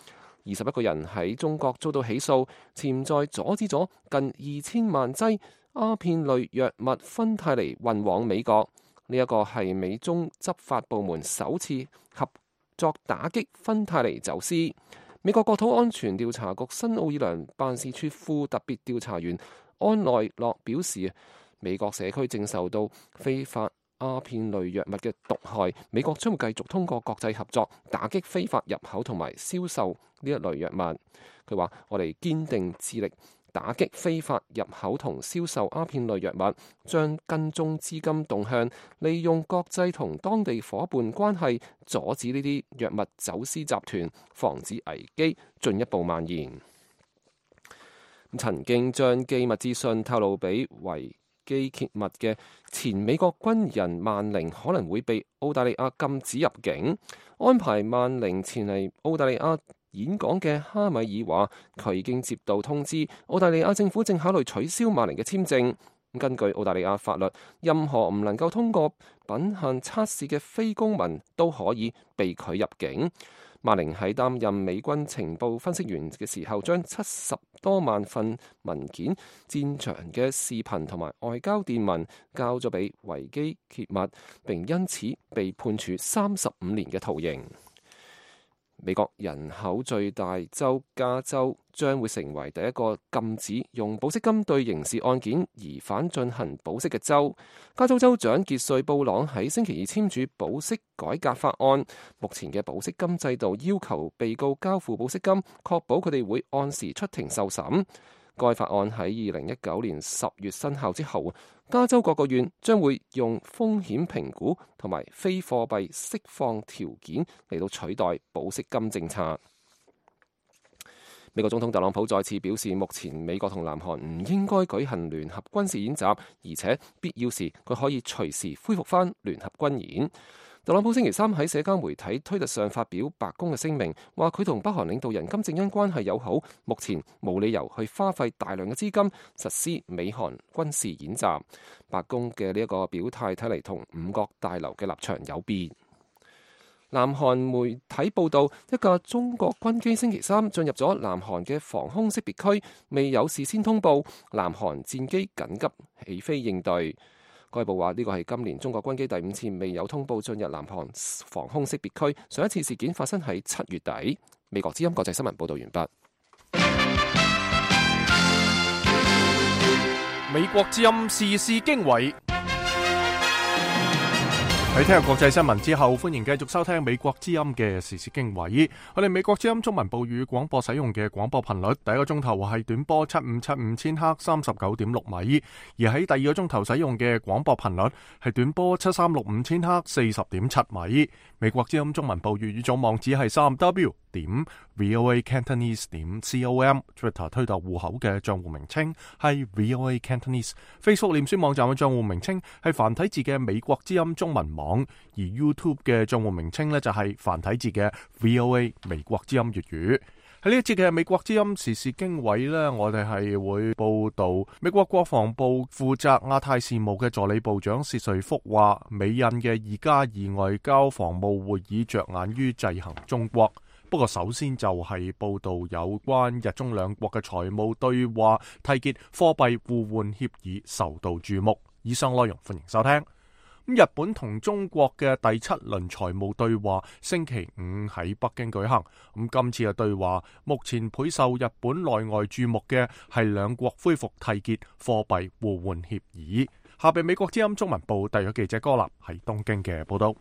21個人喺中國遭到起訴，潛在阻止咗近2000萬劑鴉片類藥物芬太尼運往美國。呢一個係美中執法部門首次合作打擊芬太尼走私。美國國土安全調查局新奧爾良辦事處副特別調查員安內洛表示，美國社區正受到非法鴉片類藥物嘅毒害，美國將會繼續通過國際合作打擊非法入口同埋銷售呢一類藥物。佢話：我哋堅定致力打擊非法入口同銷售鴉片類藥物，將跟蹤資金動向，利用國際同當地夥伴關係，阻止呢啲藥物走私集團，防止危機進一步蔓延。曾經將機密資訊透露俾維基揭密嘅前美國軍人萬寧可能會被澳大利亞禁止入境，安排萬寧前嚟澳大利亞演講嘅哈米爾話，佢已經接到通知，澳大利亞政府正考慮取消萬寧嘅簽證。根據澳大利亞法律，任何唔能夠通過品限測試嘅非公民都可以被拒入境。萬寧喺擔任美軍情報分析員嘅時候，將70多萬份文件、戰場嘅視頻同埋外交電文交咗俾維基揭密，並因此被判處35年嘅徒刑。美國人口最大州加州將會成為第一個禁止用保釋金對刑事案件疑犯進行保釋嘅州。加州州長傑瑞布朗喺星期二簽署保釋改革法案，目前嘅保釋金制度要求被告交付保釋金，確保佢哋會按時出庭受審。該法案喺2019年10月生效之後，加州各個縣將會用風險評估同埋非貨幣釋放條件嚟到取代保釋金政策。美國總統特朗普再次表示，目前美國同南韓唔應該舉行聯合軍事演習，而且必要時佢可以隨時恢復返聯合軍演。特朗普星期三喺社交媒體推特上發表白宮嘅聲明，話佢同北韓領導人金正恩關係友好，目前冇理由去花費大量嘅資金實施美韓軍事演習。白宮嘅呢一個表態睇嚟同五角大樓嘅立場有別。南韓媒體報道，一架中國軍機星期三進入咗南韓嘅防空識別區，未有事先通報，南韓戰機緊急起飛應對。該報話呢個係今年中國軍機第5次未有通報進入南韓防空識別區，上一次事件發生喺7月底。美國之音國際新聞報道完畢。美國之音時事經緯。喺聽日國際新聞之後，歡迎繼續收聽美國之音嘅時事經緯。我哋美國之音中文部語廣播使用嘅廣播頻率，第一個鐘頭係短波7575千赫39.6米，而喺第二個鐘頭使用嘅廣播頻率係短波7365千赫40.7米。美國之音中文部粵語組網址係3w.voacantonese.com，Twitter 推特戶口嘅賬戶名稱係 VOA Cantonese，Facebook 臉書網站嘅賬戶名稱係繁體字嘅美國之音中文網，而 YouTube 嘅賬戶名稱呢就係繁體字嘅 VOA 美國之音粵語。喺呢一節嘅美國之音時事經緯呢，我哋係會報道美國國防部負責亞太事務嘅助理部長薛瑞福話，美印嘅2+2外交防務會議着眼於制衡中國。不過首先就係報道有關日中兩國嘅財務對話締結貨幣互換協議受到注目。以上內容歡迎收聽。日本同中國嘅第7輪財務對話星期5喺北京舉行。今次嘅對話目前倍受日本內外注目嘅係兩國恢復締結貨幣互換協議。下邊美國之音中文部特約記者歌立喺東京嘅報道。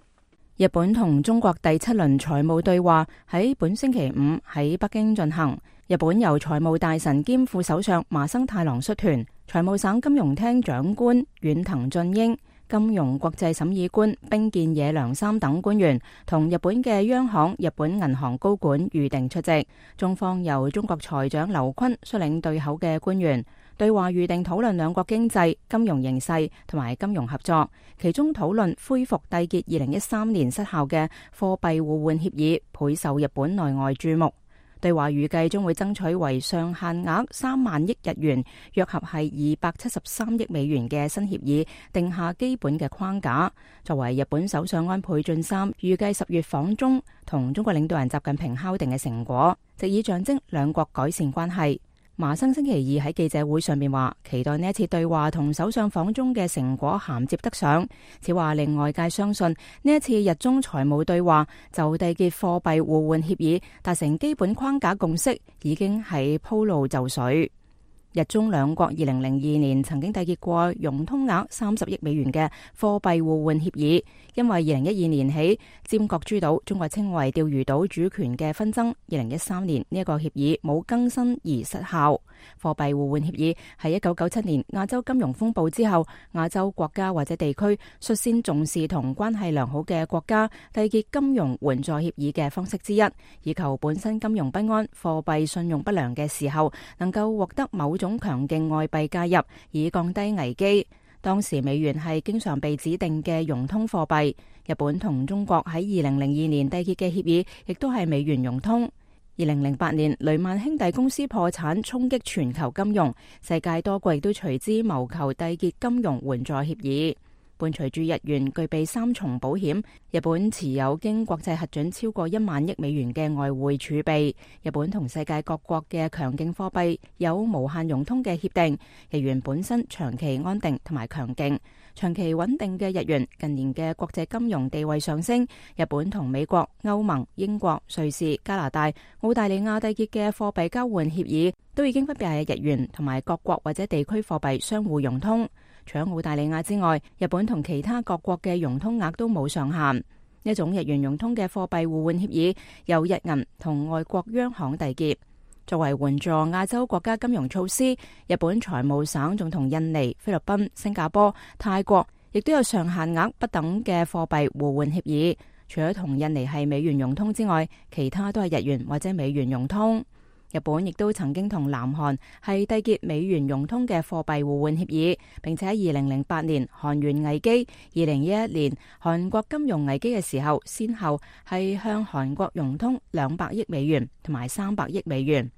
日本同中國第7輪財務對話喺本星期5喺北京進行。日本由財務大臣兼副首相麻生太郎率團，財務省金融廳長官遠藤俊英、金融國際審議官冰見野良三等官員同日本嘅央行、日本銀行高管預定出席。中方由中國財長劉昆率領對口嘅官員。對話預定討論兩國經濟、金融形勢同埋金融合作，其中討論恢復締結2013年失效嘅貨幣互換協議，倍受日本內外注目。對話預計將會爭取為上限額3萬億日元，約合係273億美元嘅新協議定下基本嘅框架。作為日本首相安倍晉三預計10月訪中同中國領導人習近平敲定嘅成果，藉以象徵兩國改善關係。麻生星期二喺記者會上面話，期待呢一次對話同首相訪中嘅成果銜接得上。此話令外界相信呢一次日中財務對話就締結貨幣互換協議達成基本框架共識，已經係鋪路就緒。日中兩國2002年曾經締結過融通額30億美元嘅貨幣互換協議，因為2012年起尖閣諸島中國稱為釣魚島主權嘅紛爭，2013年呢一個協議冇更新而失效。貨幣互換協議係1997年亞洲金融風暴之後，亞洲國家或者地區率先重視同關係良好嘅國家締結金融援助協議嘅方式之一，以求本身金融不安、貨幣信用不良嘅時候，能夠獲得某種強勁外幣介入，以降低危機。當時美元係經常被指定嘅融通貨幣。日本同中國喺2002年締結嘅協議，亦都係美元融通。2008年雷曼兄弟公司破產，衝擊全球金融，世界多國亦都隨之謀求締結金融援助協議。伴隨住日元具備3重保險，日本持有經國際核准超過1萬億美元嘅外匯儲備。日本同世界各國嘅強勁貨幣有無限融通嘅協定，日元本身長期安定同埋強勁。長期穩定嘅日元近年嘅國際金融地位上升，日本同美國、歐盟、英國、瑞士、加拿大、澳大利亞締結嘅貨幣交換協議都已經分別係日元同埋各國或者地區貨幣相互融通。除咗澳大利亞之外，日本同其他各國嘅融通額都冇上限。呢種日元融通嘅貨幣互換協議由日銀同外國央行締結。作為援助亞洲國家金融措施，日本財務省仲同印尼、菲律賓、新加坡、泰國亦都有上限額不等嘅貨幣互換協議。除咗同印尼係美元融通之外，其他都係日元或者美元融通。日本亦都曾經同南韓係締結美元融通嘅貨幣互換協議，並且喺2008年韓元危機、2011年韓國金融危機嘅時候，先後係向韓國融通200億美元同埋300億美元。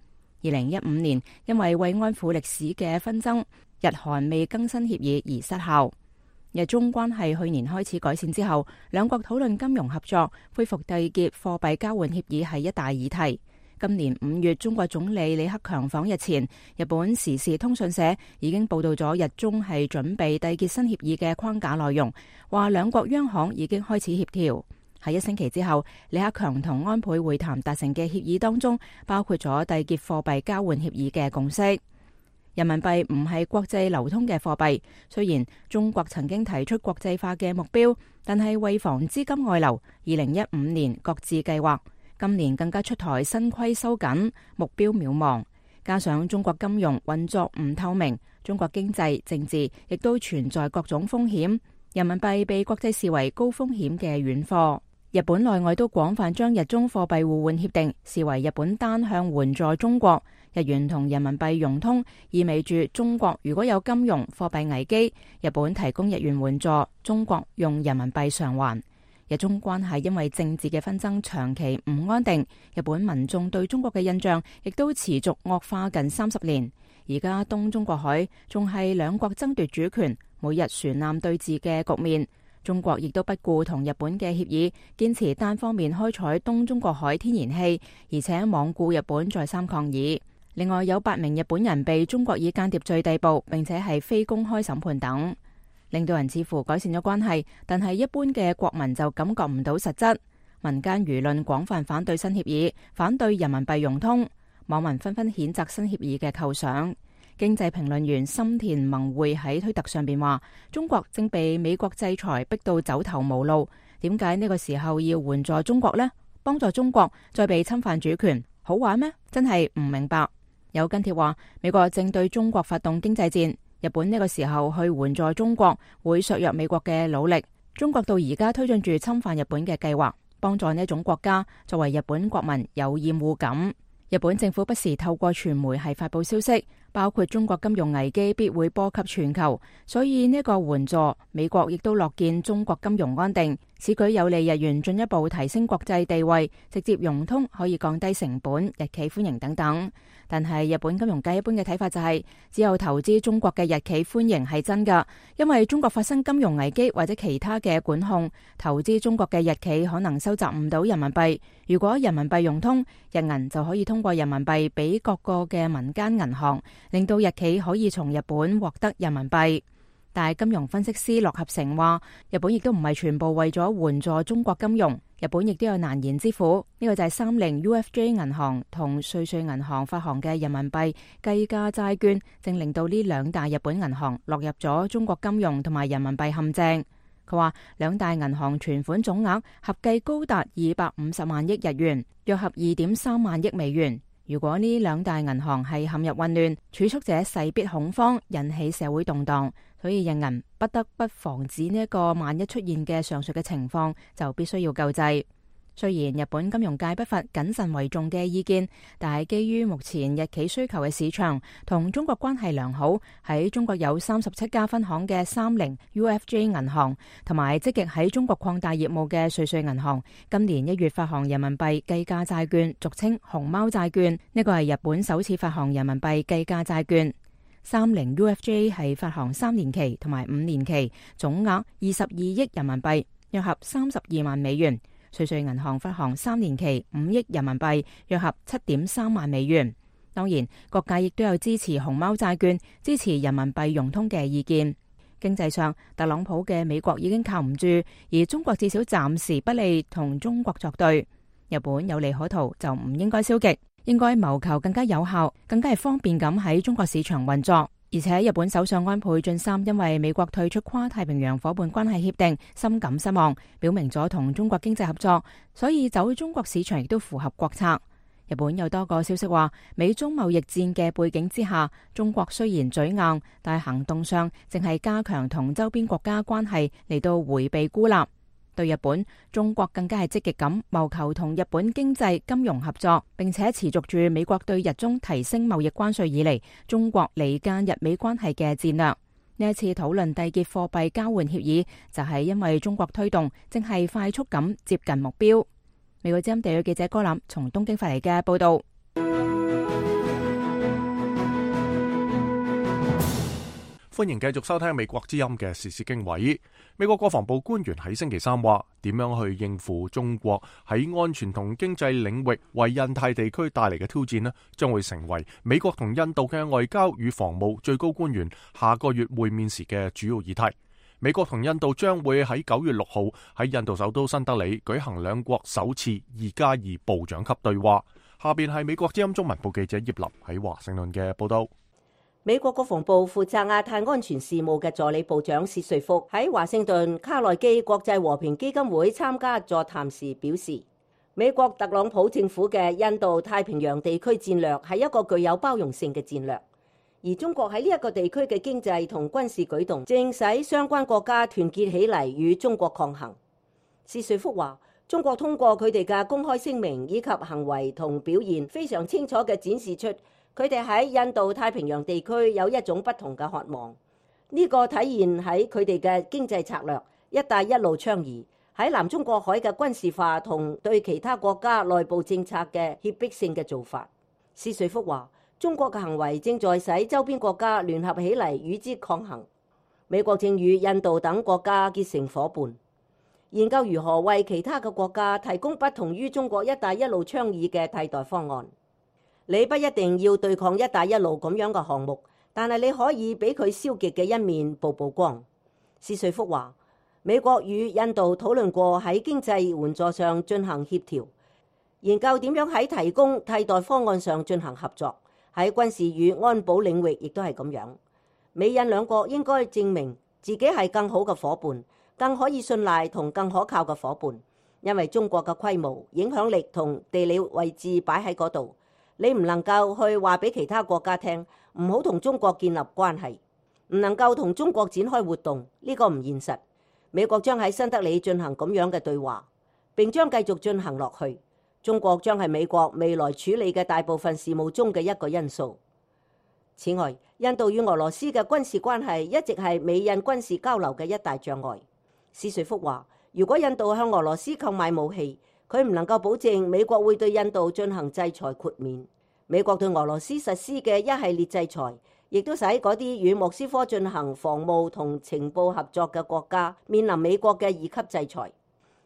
2015年因為慰安婦歷史嘅紛爭，日韓未更新協議而失效。日中關係去年開始改善之後，兩國討論金融合作、恢復締結貨幣交換協議係一大議題。今年5月，中國總理李克強訪日前，日本時事通訊社已經報道咗日中係準備締結新協議嘅框架內容，話兩國央行已經開始協調。喺1星期之後，李克強同安倍會談達成嘅協議當中，包括咗締結貨幣交換協議嘅共識。人民幣唔係國際流通嘅貨幣，雖然中國曾經提出國際化嘅目標，但係為防資金外流，2015年擱置計劃。今年更加出台新規收緊，目標渺茫。加上中國金融運作唔透明，中國經濟政治亦都存在各種風險，人民幣被國際視為高風險嘅軟貨。日本內外都廣泛將日中貨幣互換協定視為日本單向援助中國，日元同人民幣融通，意味住中國如果有金融貨幣危機，日本提供日元援助，中國用人民幣償還。日中關係因為政治嘅紛爭長期唔安定，日本民眾對中國嘅印象亦都持續惡化近30年。而家東中國海仲係兩國爭奪主權、每日船艦對峙嘅局面。中國亦都不顧同日本嘅協議，堅持單方面開採東中國海天然氣，而且罔顧日本再三抗議。另外有8名日本人被中國以間諜罪逮捕，並且係非公開審判等。領導人似乎改善咗關係，但係一般嘅國民就感覺唔到實質。民間輿論廣泛反對新協議，反對人民幣融通，網民紛紛譴責新協議嘅構想。經濟評論員森田萌會喺推特上邊話：中國正被美國制裁逼到走投無路，點解呢個時候要援助中國呢？幫助中國再被侵犯主權，好玩咩？真係唔明白。有跟帖話美國正對中國發動經濟戰。日本呢個時候去援助中國，會削弱美國嘅努力。中國到而家推進住侵犯日本嘅計劃，幫助呢種國家，作為日本國民有厭惡感。日本政府不時透過傳媒係發佈消息，包括中國金融危機必會波及全球，所以呢個援助美國亦都樂見中國金融安定，此舉有利日元進一步提升國際地位，直接融通可以降低成本，日企歡迎等等。但係日本金融界一般嘅睇法就係，只有投資中國嘅日企歡迎係真㗎，因為中國發生金融危機或者其他嘅管控，投資中國嘅日企可能收集唔到人民幣。如果人民幣融通，日銀就可以通過人民幣俾各個嘅民間銀行，令到日企可以從日本獲得人民幣。但係金融分析師駱合成話，日本亦都唔係全部為咗援助中國金融，日本亦都有難言之苦。呢個就係30 UFJ 銀行同瑞瑞銀行發行嘅人民幣計價債券，正令到呢兩大日本銀行落入咗中國金融同埋人民幣陷阱。佢話兩大銀行存款總額合計高達250萬億日元，約合2.3萬億美元。如果呢兩大銀行係陷入混亂，儲蓄者勢必恐慌，引起社會動盪。所以日銀不得不防止呢一個萬一出現嘅上述嘅情況，就必須要救濟。雖然日本金融界不乏謹慎為重嘅意見，但係基於目前日企需求嘅市場同中國關係良好，喺中國有37家分行嘅30 UFJ 銀行，同埋積極喺中國擴大業務嘅瑞瑞銀行，今年1月發行人民幣計價債券，俗稱熊貓債券。呢個係日本首次發行人民幣計價債券。30 UFJ 係發行3年期同埋5年期，總額22億人民幣，約合32萬美元。瑞瑞銀行發行3年期5億人民幣，約合7.3萬美元。當然，各界亦都有支持熊貓債券、支持人民幣融通嘅意見。經濟上，特朗普嘅美國已經靠唔住，而中國至少暫時不利同中國作對。日本有利可圖就唔應該消極，應該謀求更加有效、更加係方便咁喺中國市場運作。而且日本首相安倍晉三因為美國退出跨太平洋夥伴關係協定，深感失望，表明咗同中國經濟合作，所以走中國市場亦都符合國策。日本有多個消息話，美中貿易戰嘅背景之下，中國雖然嘴硬，但行動上正係加強同周邊國家關係嚟到迴避孤立。對日本，中國更加係積極咁謀求同日本經濟金融合作，並且持續住美國對日中提升貿易關稅以嚟，中國離間日美關係嘅戰略。呢一次討論締結貨幣交換協議，就係因為中國推動正係快速咁接近目標。美國之音地區記者柯林從東京發嚟嘅報道。歡迎繼續收聽美國之音嘅時事經緯。美國國防部官員喺星期三話，點樣去應付中國喺安全同經濟領域為印太地區帶嚟嘅挑戰呢，將會成為美國同印度嘅外交與防務最高官員下個月會面時嘅主要議題。美國同印度將會喺9月6號喺印度首都新德里舉行兩國首次2+2部長級對話。下邊係美國之音中文部記者葉立喺華盛頓嘅報道。美國國防部負責亞太安全事務嘅助理部長薛瑞福喺華盛頓卡內基國際和平基金會參加座談時表示，美國特朗普政府嘅印度太平洋地區戰略係一個具有包容性嘅戰略。而中國喺呢一個地區嘅經濟同軍事舉動，正使相關國家團結起嚟與中國抗衡。薛瑞福話，中國通過佢哋嘅公開聲明以及行為同表現，非常清楚嘅展示出佢哋喺印度太平洋地區有一種不同嘅渴望。呢個體現喺佢哋嘅經濟策略、一帶一路倡議，喺南中國海嘅軍事化同對其他國家內部政策嘅脅迫性嘅做法。薛瑞福話，中國嘅行為正在使周邊國家聯合起嚟與之抗衡。美國正與印度等國家結成夥伴，研究如何為其他嘅國家提供不同於中國一帶一路倡議嘅替代方案。你不一定要對抗一帶一路咁樣嘅項目，但係你可以俾佢消極嘅一面曝光。薛瑞福話，美國與印度討論過喺經濟援助上進行協調，研究點樣喺提供替代方案上進行合作。喺軍事與安保領域亦都係咁樣。美印兩國應該證明自己係更好嘅夥伴，更可以信賴同更可靠嘅夥伴。因為中國嘅規模、影響力同地理位置擺喺嗰度，你唔能夠去話俾其他國家聽唔好同中國建立關係，唔能夠同中國展開活動，呢個唔現實。美國將喺新德里進行咁樣嘅對話，並將繼續進行落去。中國將係美國未來處理嘅大部分事務中嘅一個因素。此外，印度與俄羅斯嘅軍事關係一直係美印軍事交流嘅一大障礙。薛瑞福話，如果印度向俄羅斯購買武器，佢唔能夠保證美國會對印度進行制裁豁免。美國對俄羅斯實施嘅一系列制裁，亦都使嗰啲與莫斯科進行防務同情報合作嘅國家面臨美國嘅2級制裁。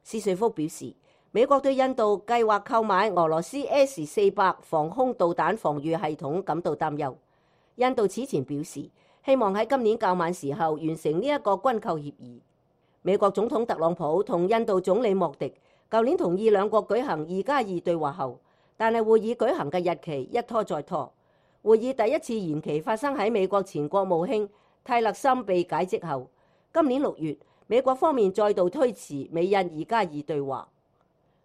薛瑞福表示，美國對印度計劃購買俄羅斯 S-400 防空導彈防禦系統感到擔憂。印度此前表示，希望喺今年較晚時候完成呢一個軍購協議。美國總統特朗普同印度總理莫迪舊年同意兩國舉行2+2對話後，但係會議舉行嘅日期一拖再拖。會議第一次延期發生喺美國前國務卿泰勒森被解職後。今年6月，美國方面再度推遲美印2+2對話。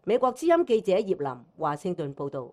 美國之音記者葉林華盛頓報道。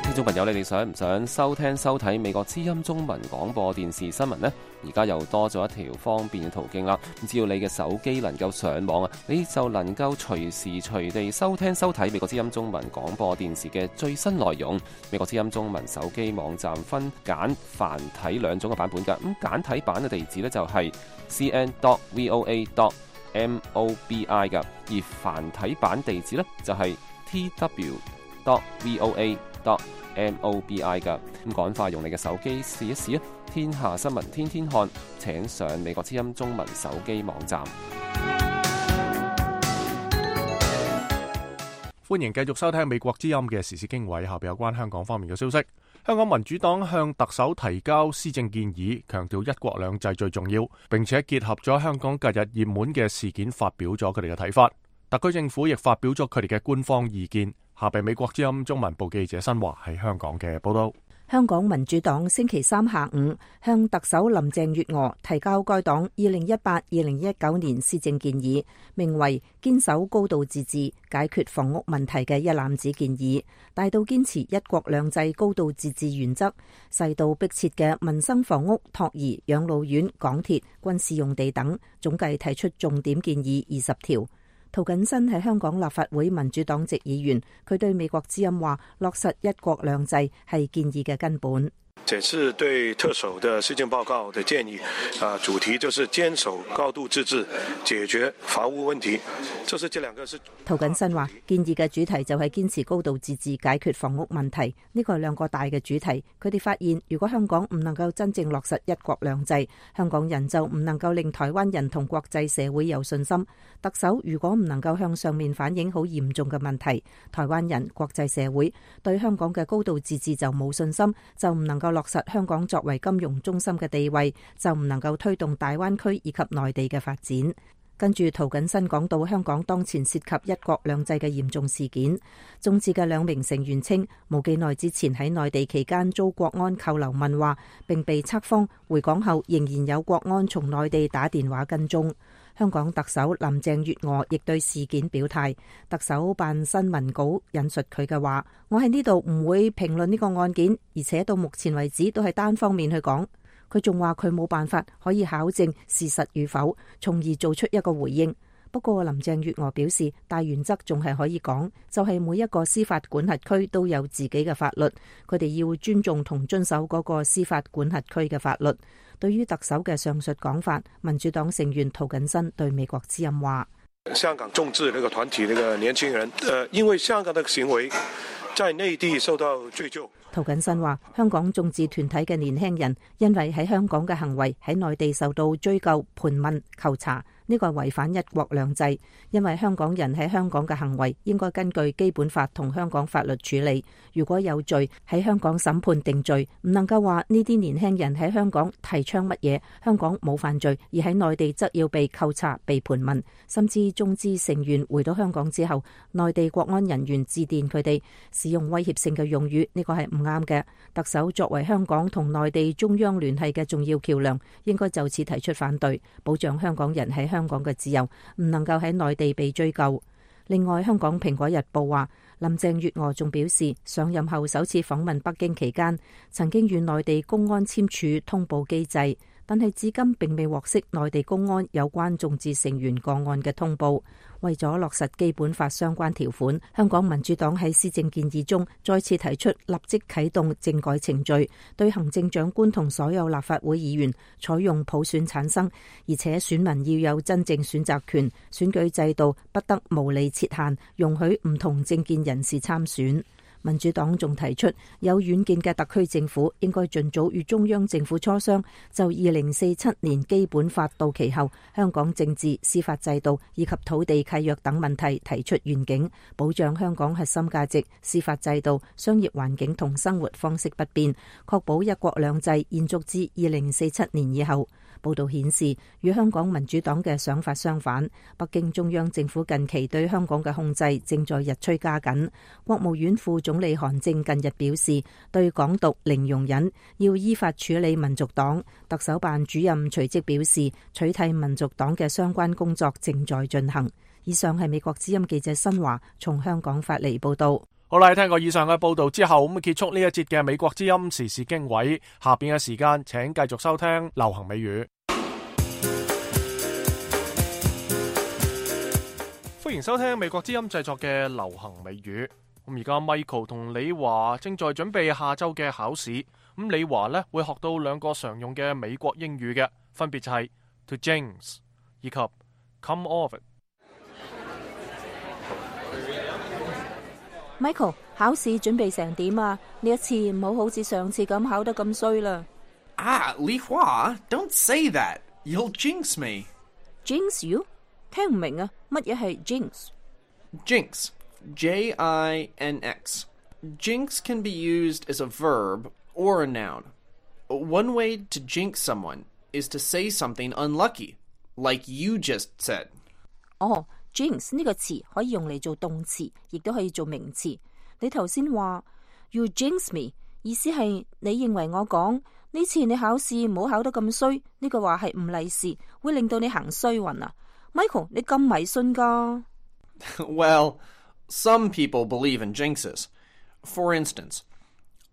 聽眾朋友，你哋想唔想收聽收睇美國之音中文廣播電視新聞呢？而家又多咗一條方便嘅途徑啦。只要你嘅手機能夠上網啊，你就能夠隨時隨地收聽收睇美國之音中文廣播電視嘅最新內容。美國之音中文手機網站分簡繁體兩種嘅版本㗎。咁簡體版嘅地址呢，就係 cn.voa.mobi 㗎，而繁體版地址呢，就係 tw.voa.mobi 㗎。咁趕快用你嘅手機試一試啊！天下新聞天天看，請上美國之音中文手機網站。歡迎繼續收聽美國之音嘅時事經緯，下邊有關香港方面嘅消息。香港民主黨向特首提交施政建議，強調一國兩制最重要，並且結合咗香港近日熱門嘅事件，發表咗佢哋嘅睇法。特區政府亦發表咗佢哋嘅官方意見。下邊美國之音中文部記者新華喺香港嘅報道。香港民主黨星期三下午向特首林鄭月娥提交該黨2018-2019年施政建議，名為堅守高度自治解決房屋問題嘅一攬子建議，大到堅持一國兩制高度自治原則，細到迫切嘅民生房屋、托兒、養老院、港鐵、軍事用地等，總計提出重點建議20條。涂謹申係香港立法會民主黨籍議員，佢對美國之音話：落實一國兩制係建議嘅根本。這次對特首的施政報告的建議，主題就是堅守高度自治，解決房屋問題。這兩個是涂謹申話，建議嘅主題就係堅持高度自治，解決房屋問題。呢個係兩個大嘅主題。佢哋發現，如果香港唔能夠真正落實一國兩制，香港人就唔能夠令台灣人同國際社會有信心。特首如果唔能夠向上面反映好嚴重嘅問題，台灣人、國際社會對香港嘅高度自治就冇信心，就唔能夠落實香港作為金融中心嘅地位，就唔能夠推動大灣區以及內地嘅發展。跟住涂謹申講到香港當前涉及一國兩制嘅嚴重事件，眾志嘅兩名成員稱，冇幾耐之前喺內地期間遭國安扣留問話，並被測謊，回港後仍然有國安從內地打電話跟蹤。香港特首林鄭月娥亦對事件表態，特首辦新聞稿引述佢嘅話：我喺呢度唔會評論呢個案件，而且到目前為止都係單方面去講。佢仲話佢冇辦法可以考證事實與否，從而做出一個回應。不過林鄭月娥表示，大原則仲係可以講，就係每一個司法管轄區都有自己嘅法律，佢哋要尊重同遵守嗰個司法管轄區嘅法律。對於特首嘅上述講法，民主黨成員涂謹申對美國之音話：香港眾志那個團體那個年輕人，因為香港的行為在內地受到追究。涂謹申話：香港眾志團體嘅年輕人因為喺香港嘅行為喺內地受到追究、盤問、扣查，呢個係違反一國兩制。因為香港人喺香港嘅行為應該根據基本法同香港法律處理。如果有罪喺香港審判定罪，唔能夠話呢啲年輕人喺香港提倡乜嘢，香港冇犯罪，而喺內地則要被扣查、被盤問。甚至眾志成員回到香港之後，內地國安人員致電佢哋，使用威脅性嘅用語，呢個係唔啱嘅。特首作為香港同內地中央聯繫嘅重要橋樑，應該就此提出反對，保障香港人喺香港嘅自由，唔能夠喺內地被追究。另外，香港蘋果日報話，林鄭月娥仲表示，上任後首次訪問北京期間，曾經與內地公安簽署通報機制，但係至今並未獲悉內地公安有關眾志成員個案嘅通報。為咗落實基本法相關條款，香港民主黨喺施政建議中再次提出立即啟動政改程序，對行政長官同所有立法會議員採用普選產生，而且選民要有真正選擇權，選舉制度不得無理設限，容許唔同政見人士參選。民主黨仲提出，有遠見嘅特區政府應該盡早與中央政府磋商，就2047年基本法到期後香港政治、司法制度以及土地契約等問題提出願景，保障香港核心價值、司法制度、商業環境同生活方式不變，確保一國兩制延續至2047年以後。報道顯示，與香港民主黨嘅想法相反，北京中央政府近期對香港嘅控制正在日趨加緊。國務院副總理韓正近日表示，對港獨零容忍，要依法處理民族黨。特首辦主任隨即表示，取締民族黨嘅相關工作正在進行。以上係美國之音記者新華從香港發嚟報道。好啦，聽過以上嘅報道之後，咁結束呢一節嘅美國之音時事經緯。下邊嘅時間，請繼續收聽流行美語。歡迎收聽美國之音製作嘅流行美語。咁而家 Michael 同李華正在準備下週嘅考試。咁李華呢會學到兩個常用嘅美國英語嘅，分別就係 to jinx 以及 come off it。Michael， 考試準備成點啊？呢一次唔好好似上次咁考得咁衰啦。李華 ，don't say that. You'll jinx me. Jinx you？ 聽唔明啊？乜嘢係 jinx？Jinx, J-I-N-X. Jinx can be used as a verb or a noun. One way to jinx someone is to say something unlucky, like you just said. Jinx 呢個詞可以用嚟做動詞，亦都可以做名詞。你頭先話 You jinx me，意思係你認為我講呢次你考試唔好考得咁衰，呢個話係唔利是，會令到你行衰運啊 ？Michael， 你咁迷信噶？ Well, some people believe in jinxes. For instance,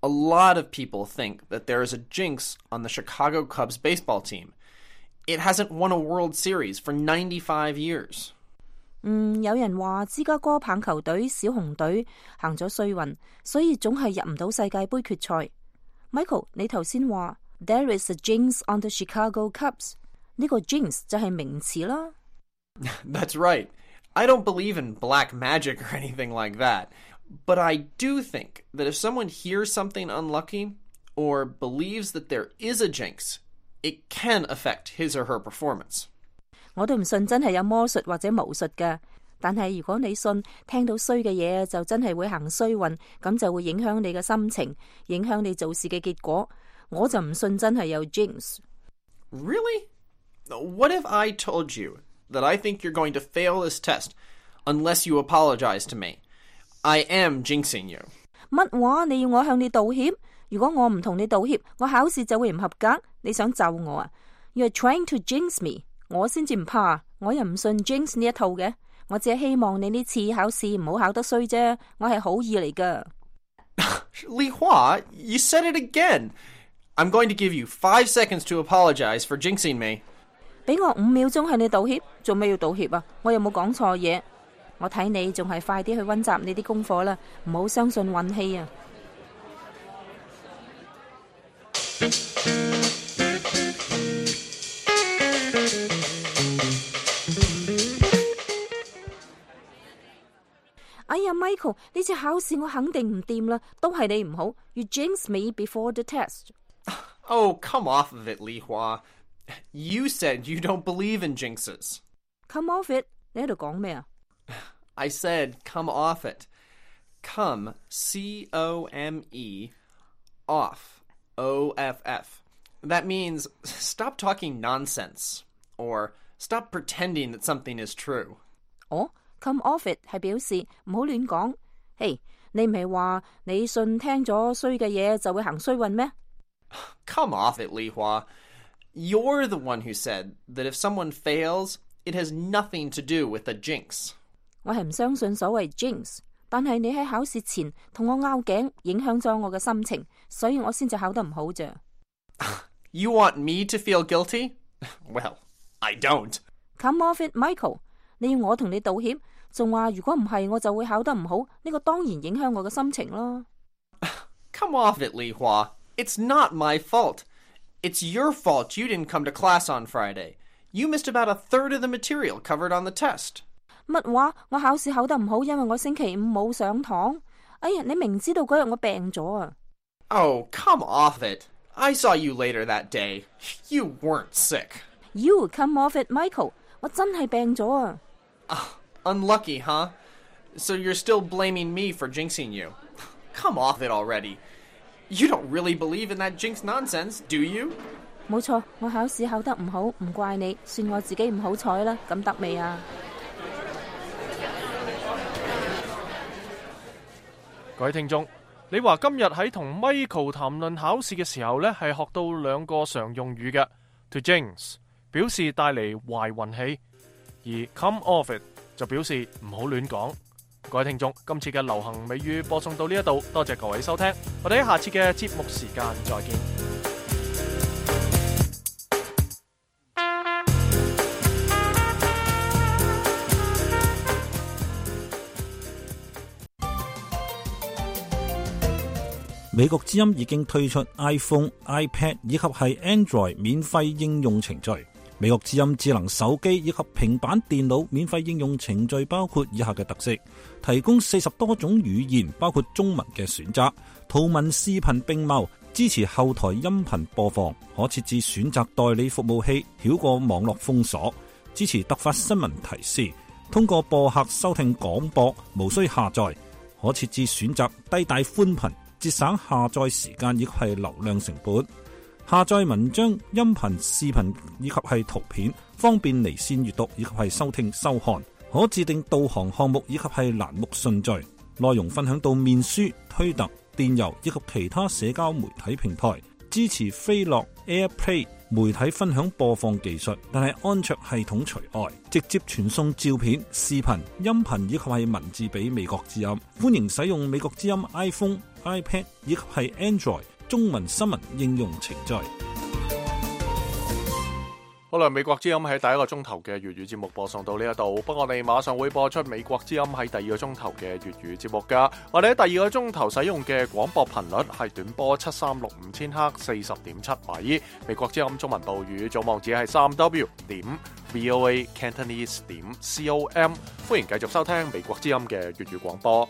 a lot of people think that there is a jinx on the Chicago Cubs baseball team. It hasn't won a World Series for 95 years. 有人話芝加哥棒球隊小熊隊行咗衰運，所以總係入唔到世界盃決賽。Michael， 你頭先話 There is a jinx on the Chicago Cubs， 呢個 jinx 就係名詞啦。That's right. I don't believe in black magic or anything like that, but I do think that if someone hears something unlucky or believes that there is a jinx, it can affect his or her performance. 我都唔信真係有魔術或者巫術㗎，但係如果你信聽到衰嘅嘢就真係會行衰運，咁就會影響你嘅心情，影響你做事嘅結果。我就唔信真係有 jinx。 Really? What if I told you that I think you're going to fail this test unless you apologize to me? I am jinxing you. 乜話？你要我向你道歉？如果我唔同你道歉，我考試就會唔合格。你想咒我啊？ You're trying to jinx me。我先至唔怕，我又唔信 jinx 呢一套嘅。我只係希望你呢次考試唔好考得衰啫，我係好意嚟噶。Li Hua, you said it again. I'm going to give you 5 seconds to apologize for jinxing me. 俾我5秒鐘向你道歉，做咩要道歉啊？我有冇講錯嘢？我睇你仲係快啲去溫習你啲功課啦，唔好相信運氣啊！哎呀 ，Michael， 呢次考試我肯定唔掂啦，都係你唔好。You jinxed me before the test. Oh, come off of it, Li Hua. You said you don't believe in jinxes. Come off it. 你喺度講咩啊？ I said come off it. Come, C-O-M-E, off, O-F-F. That means stop talking nonsense, or stop pretending that something is true. 哦，come off it 係表示唔好亂講。嘿，你唔係話你信聽咗衰嘅嘢就會行衰運咩？ Come off it, Li Hua. You're the one who said that if someone fails, it has nothing to do with a jinx. 我係唔相信所謂 jinx， 但係你喺考試前同我拗頸，影響咗我嘅心情，所以我先至考得唔好咋。You want me to feel guilty? Well, I don't. Come off it, Michael. 你要我同你道歉，仲話如果唔係我就會考得唔好，呢個當然影響我嘅心情咯。Come off it, Li Hua. It's not my fault. It's your fault you didn't come to class on Friday. You missed about a third of the material covered on the test. 乜話？我考試考得唔好，因為我星期五冇上堂。哎呀，你明知道嗰日我病咗啊！ Oh, come off it. I saw you later that day. You weren't sick. You come off it, Michael. 我真係病咗啊！ Unlucky, huh? So you're still blaming me for jinxing you. Come off it already. You don't really believe in that jinx nonsense, do you? 冇錯，我考試考得唔好，唔怪你，算我自己唔好彩啦。咁得未啊？各位聽眾，你話今日喺同 Michael 談論考試嘅時候呢，係學到2個常用語嘅 ，to jinx 表示帶嚟壞運氣，而 come off it 就表示唔好亂講。各位聽眾，今次嘅流行美語播送到呢一度，多謝各位收聽，我哋喺下次嘅節目時間再見。美國之音已經推出 iPhone、iPad 以及係 Android 免費應用程序。美國之音智能手機以及平板電腦免費應用程序包括以下嘅特色：提供40多種語言，包括中文嘅選擇，圖文視頻並茂，支持後台音頻播放，可設置選擇代理服務器，繞過網絡封鎖，支持突發新聞提示，通過播客收聽廣播，無需下載，可設置選擇低帶寬頻，節省下載時間以及係流量成本。下載文章、音頻、視頻以及係圖片，方便離線閱讀以及係收聽收看。可自定導航項目以及係欄目順序。內容分享到面書、推特、電郵以及其他社交媒體平台，支持飛樂 AirPlay 媒體分享播放技術，但係安卓系統除外，直接傳送照片、視頻、音頻以及係文字俾美國之音。歡迎使用美國之音 iPhone、iPad 以及係 Android 中文新聞應用程序。好啦，美國之音喺第一個鐘頭嘅粵語節目播送到呢一度，不過我哋馬上會播出美國之音喺第二個鐘頭嘅粵語節目噶。我哋喺第二個鐘頭使用嘅廣播頻率係短波7365千赫40.7米。美國之音中文報語總網址係3w.voacantonese.com。歡迎繼續收聽美國之音嘅粵語廣播。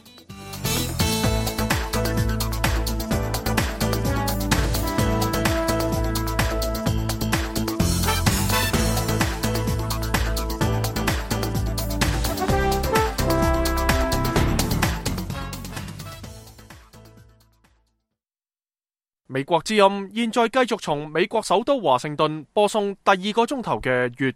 美國之音現在繼續從美國首都華盛頓播送第二個鐘頭嘅粵語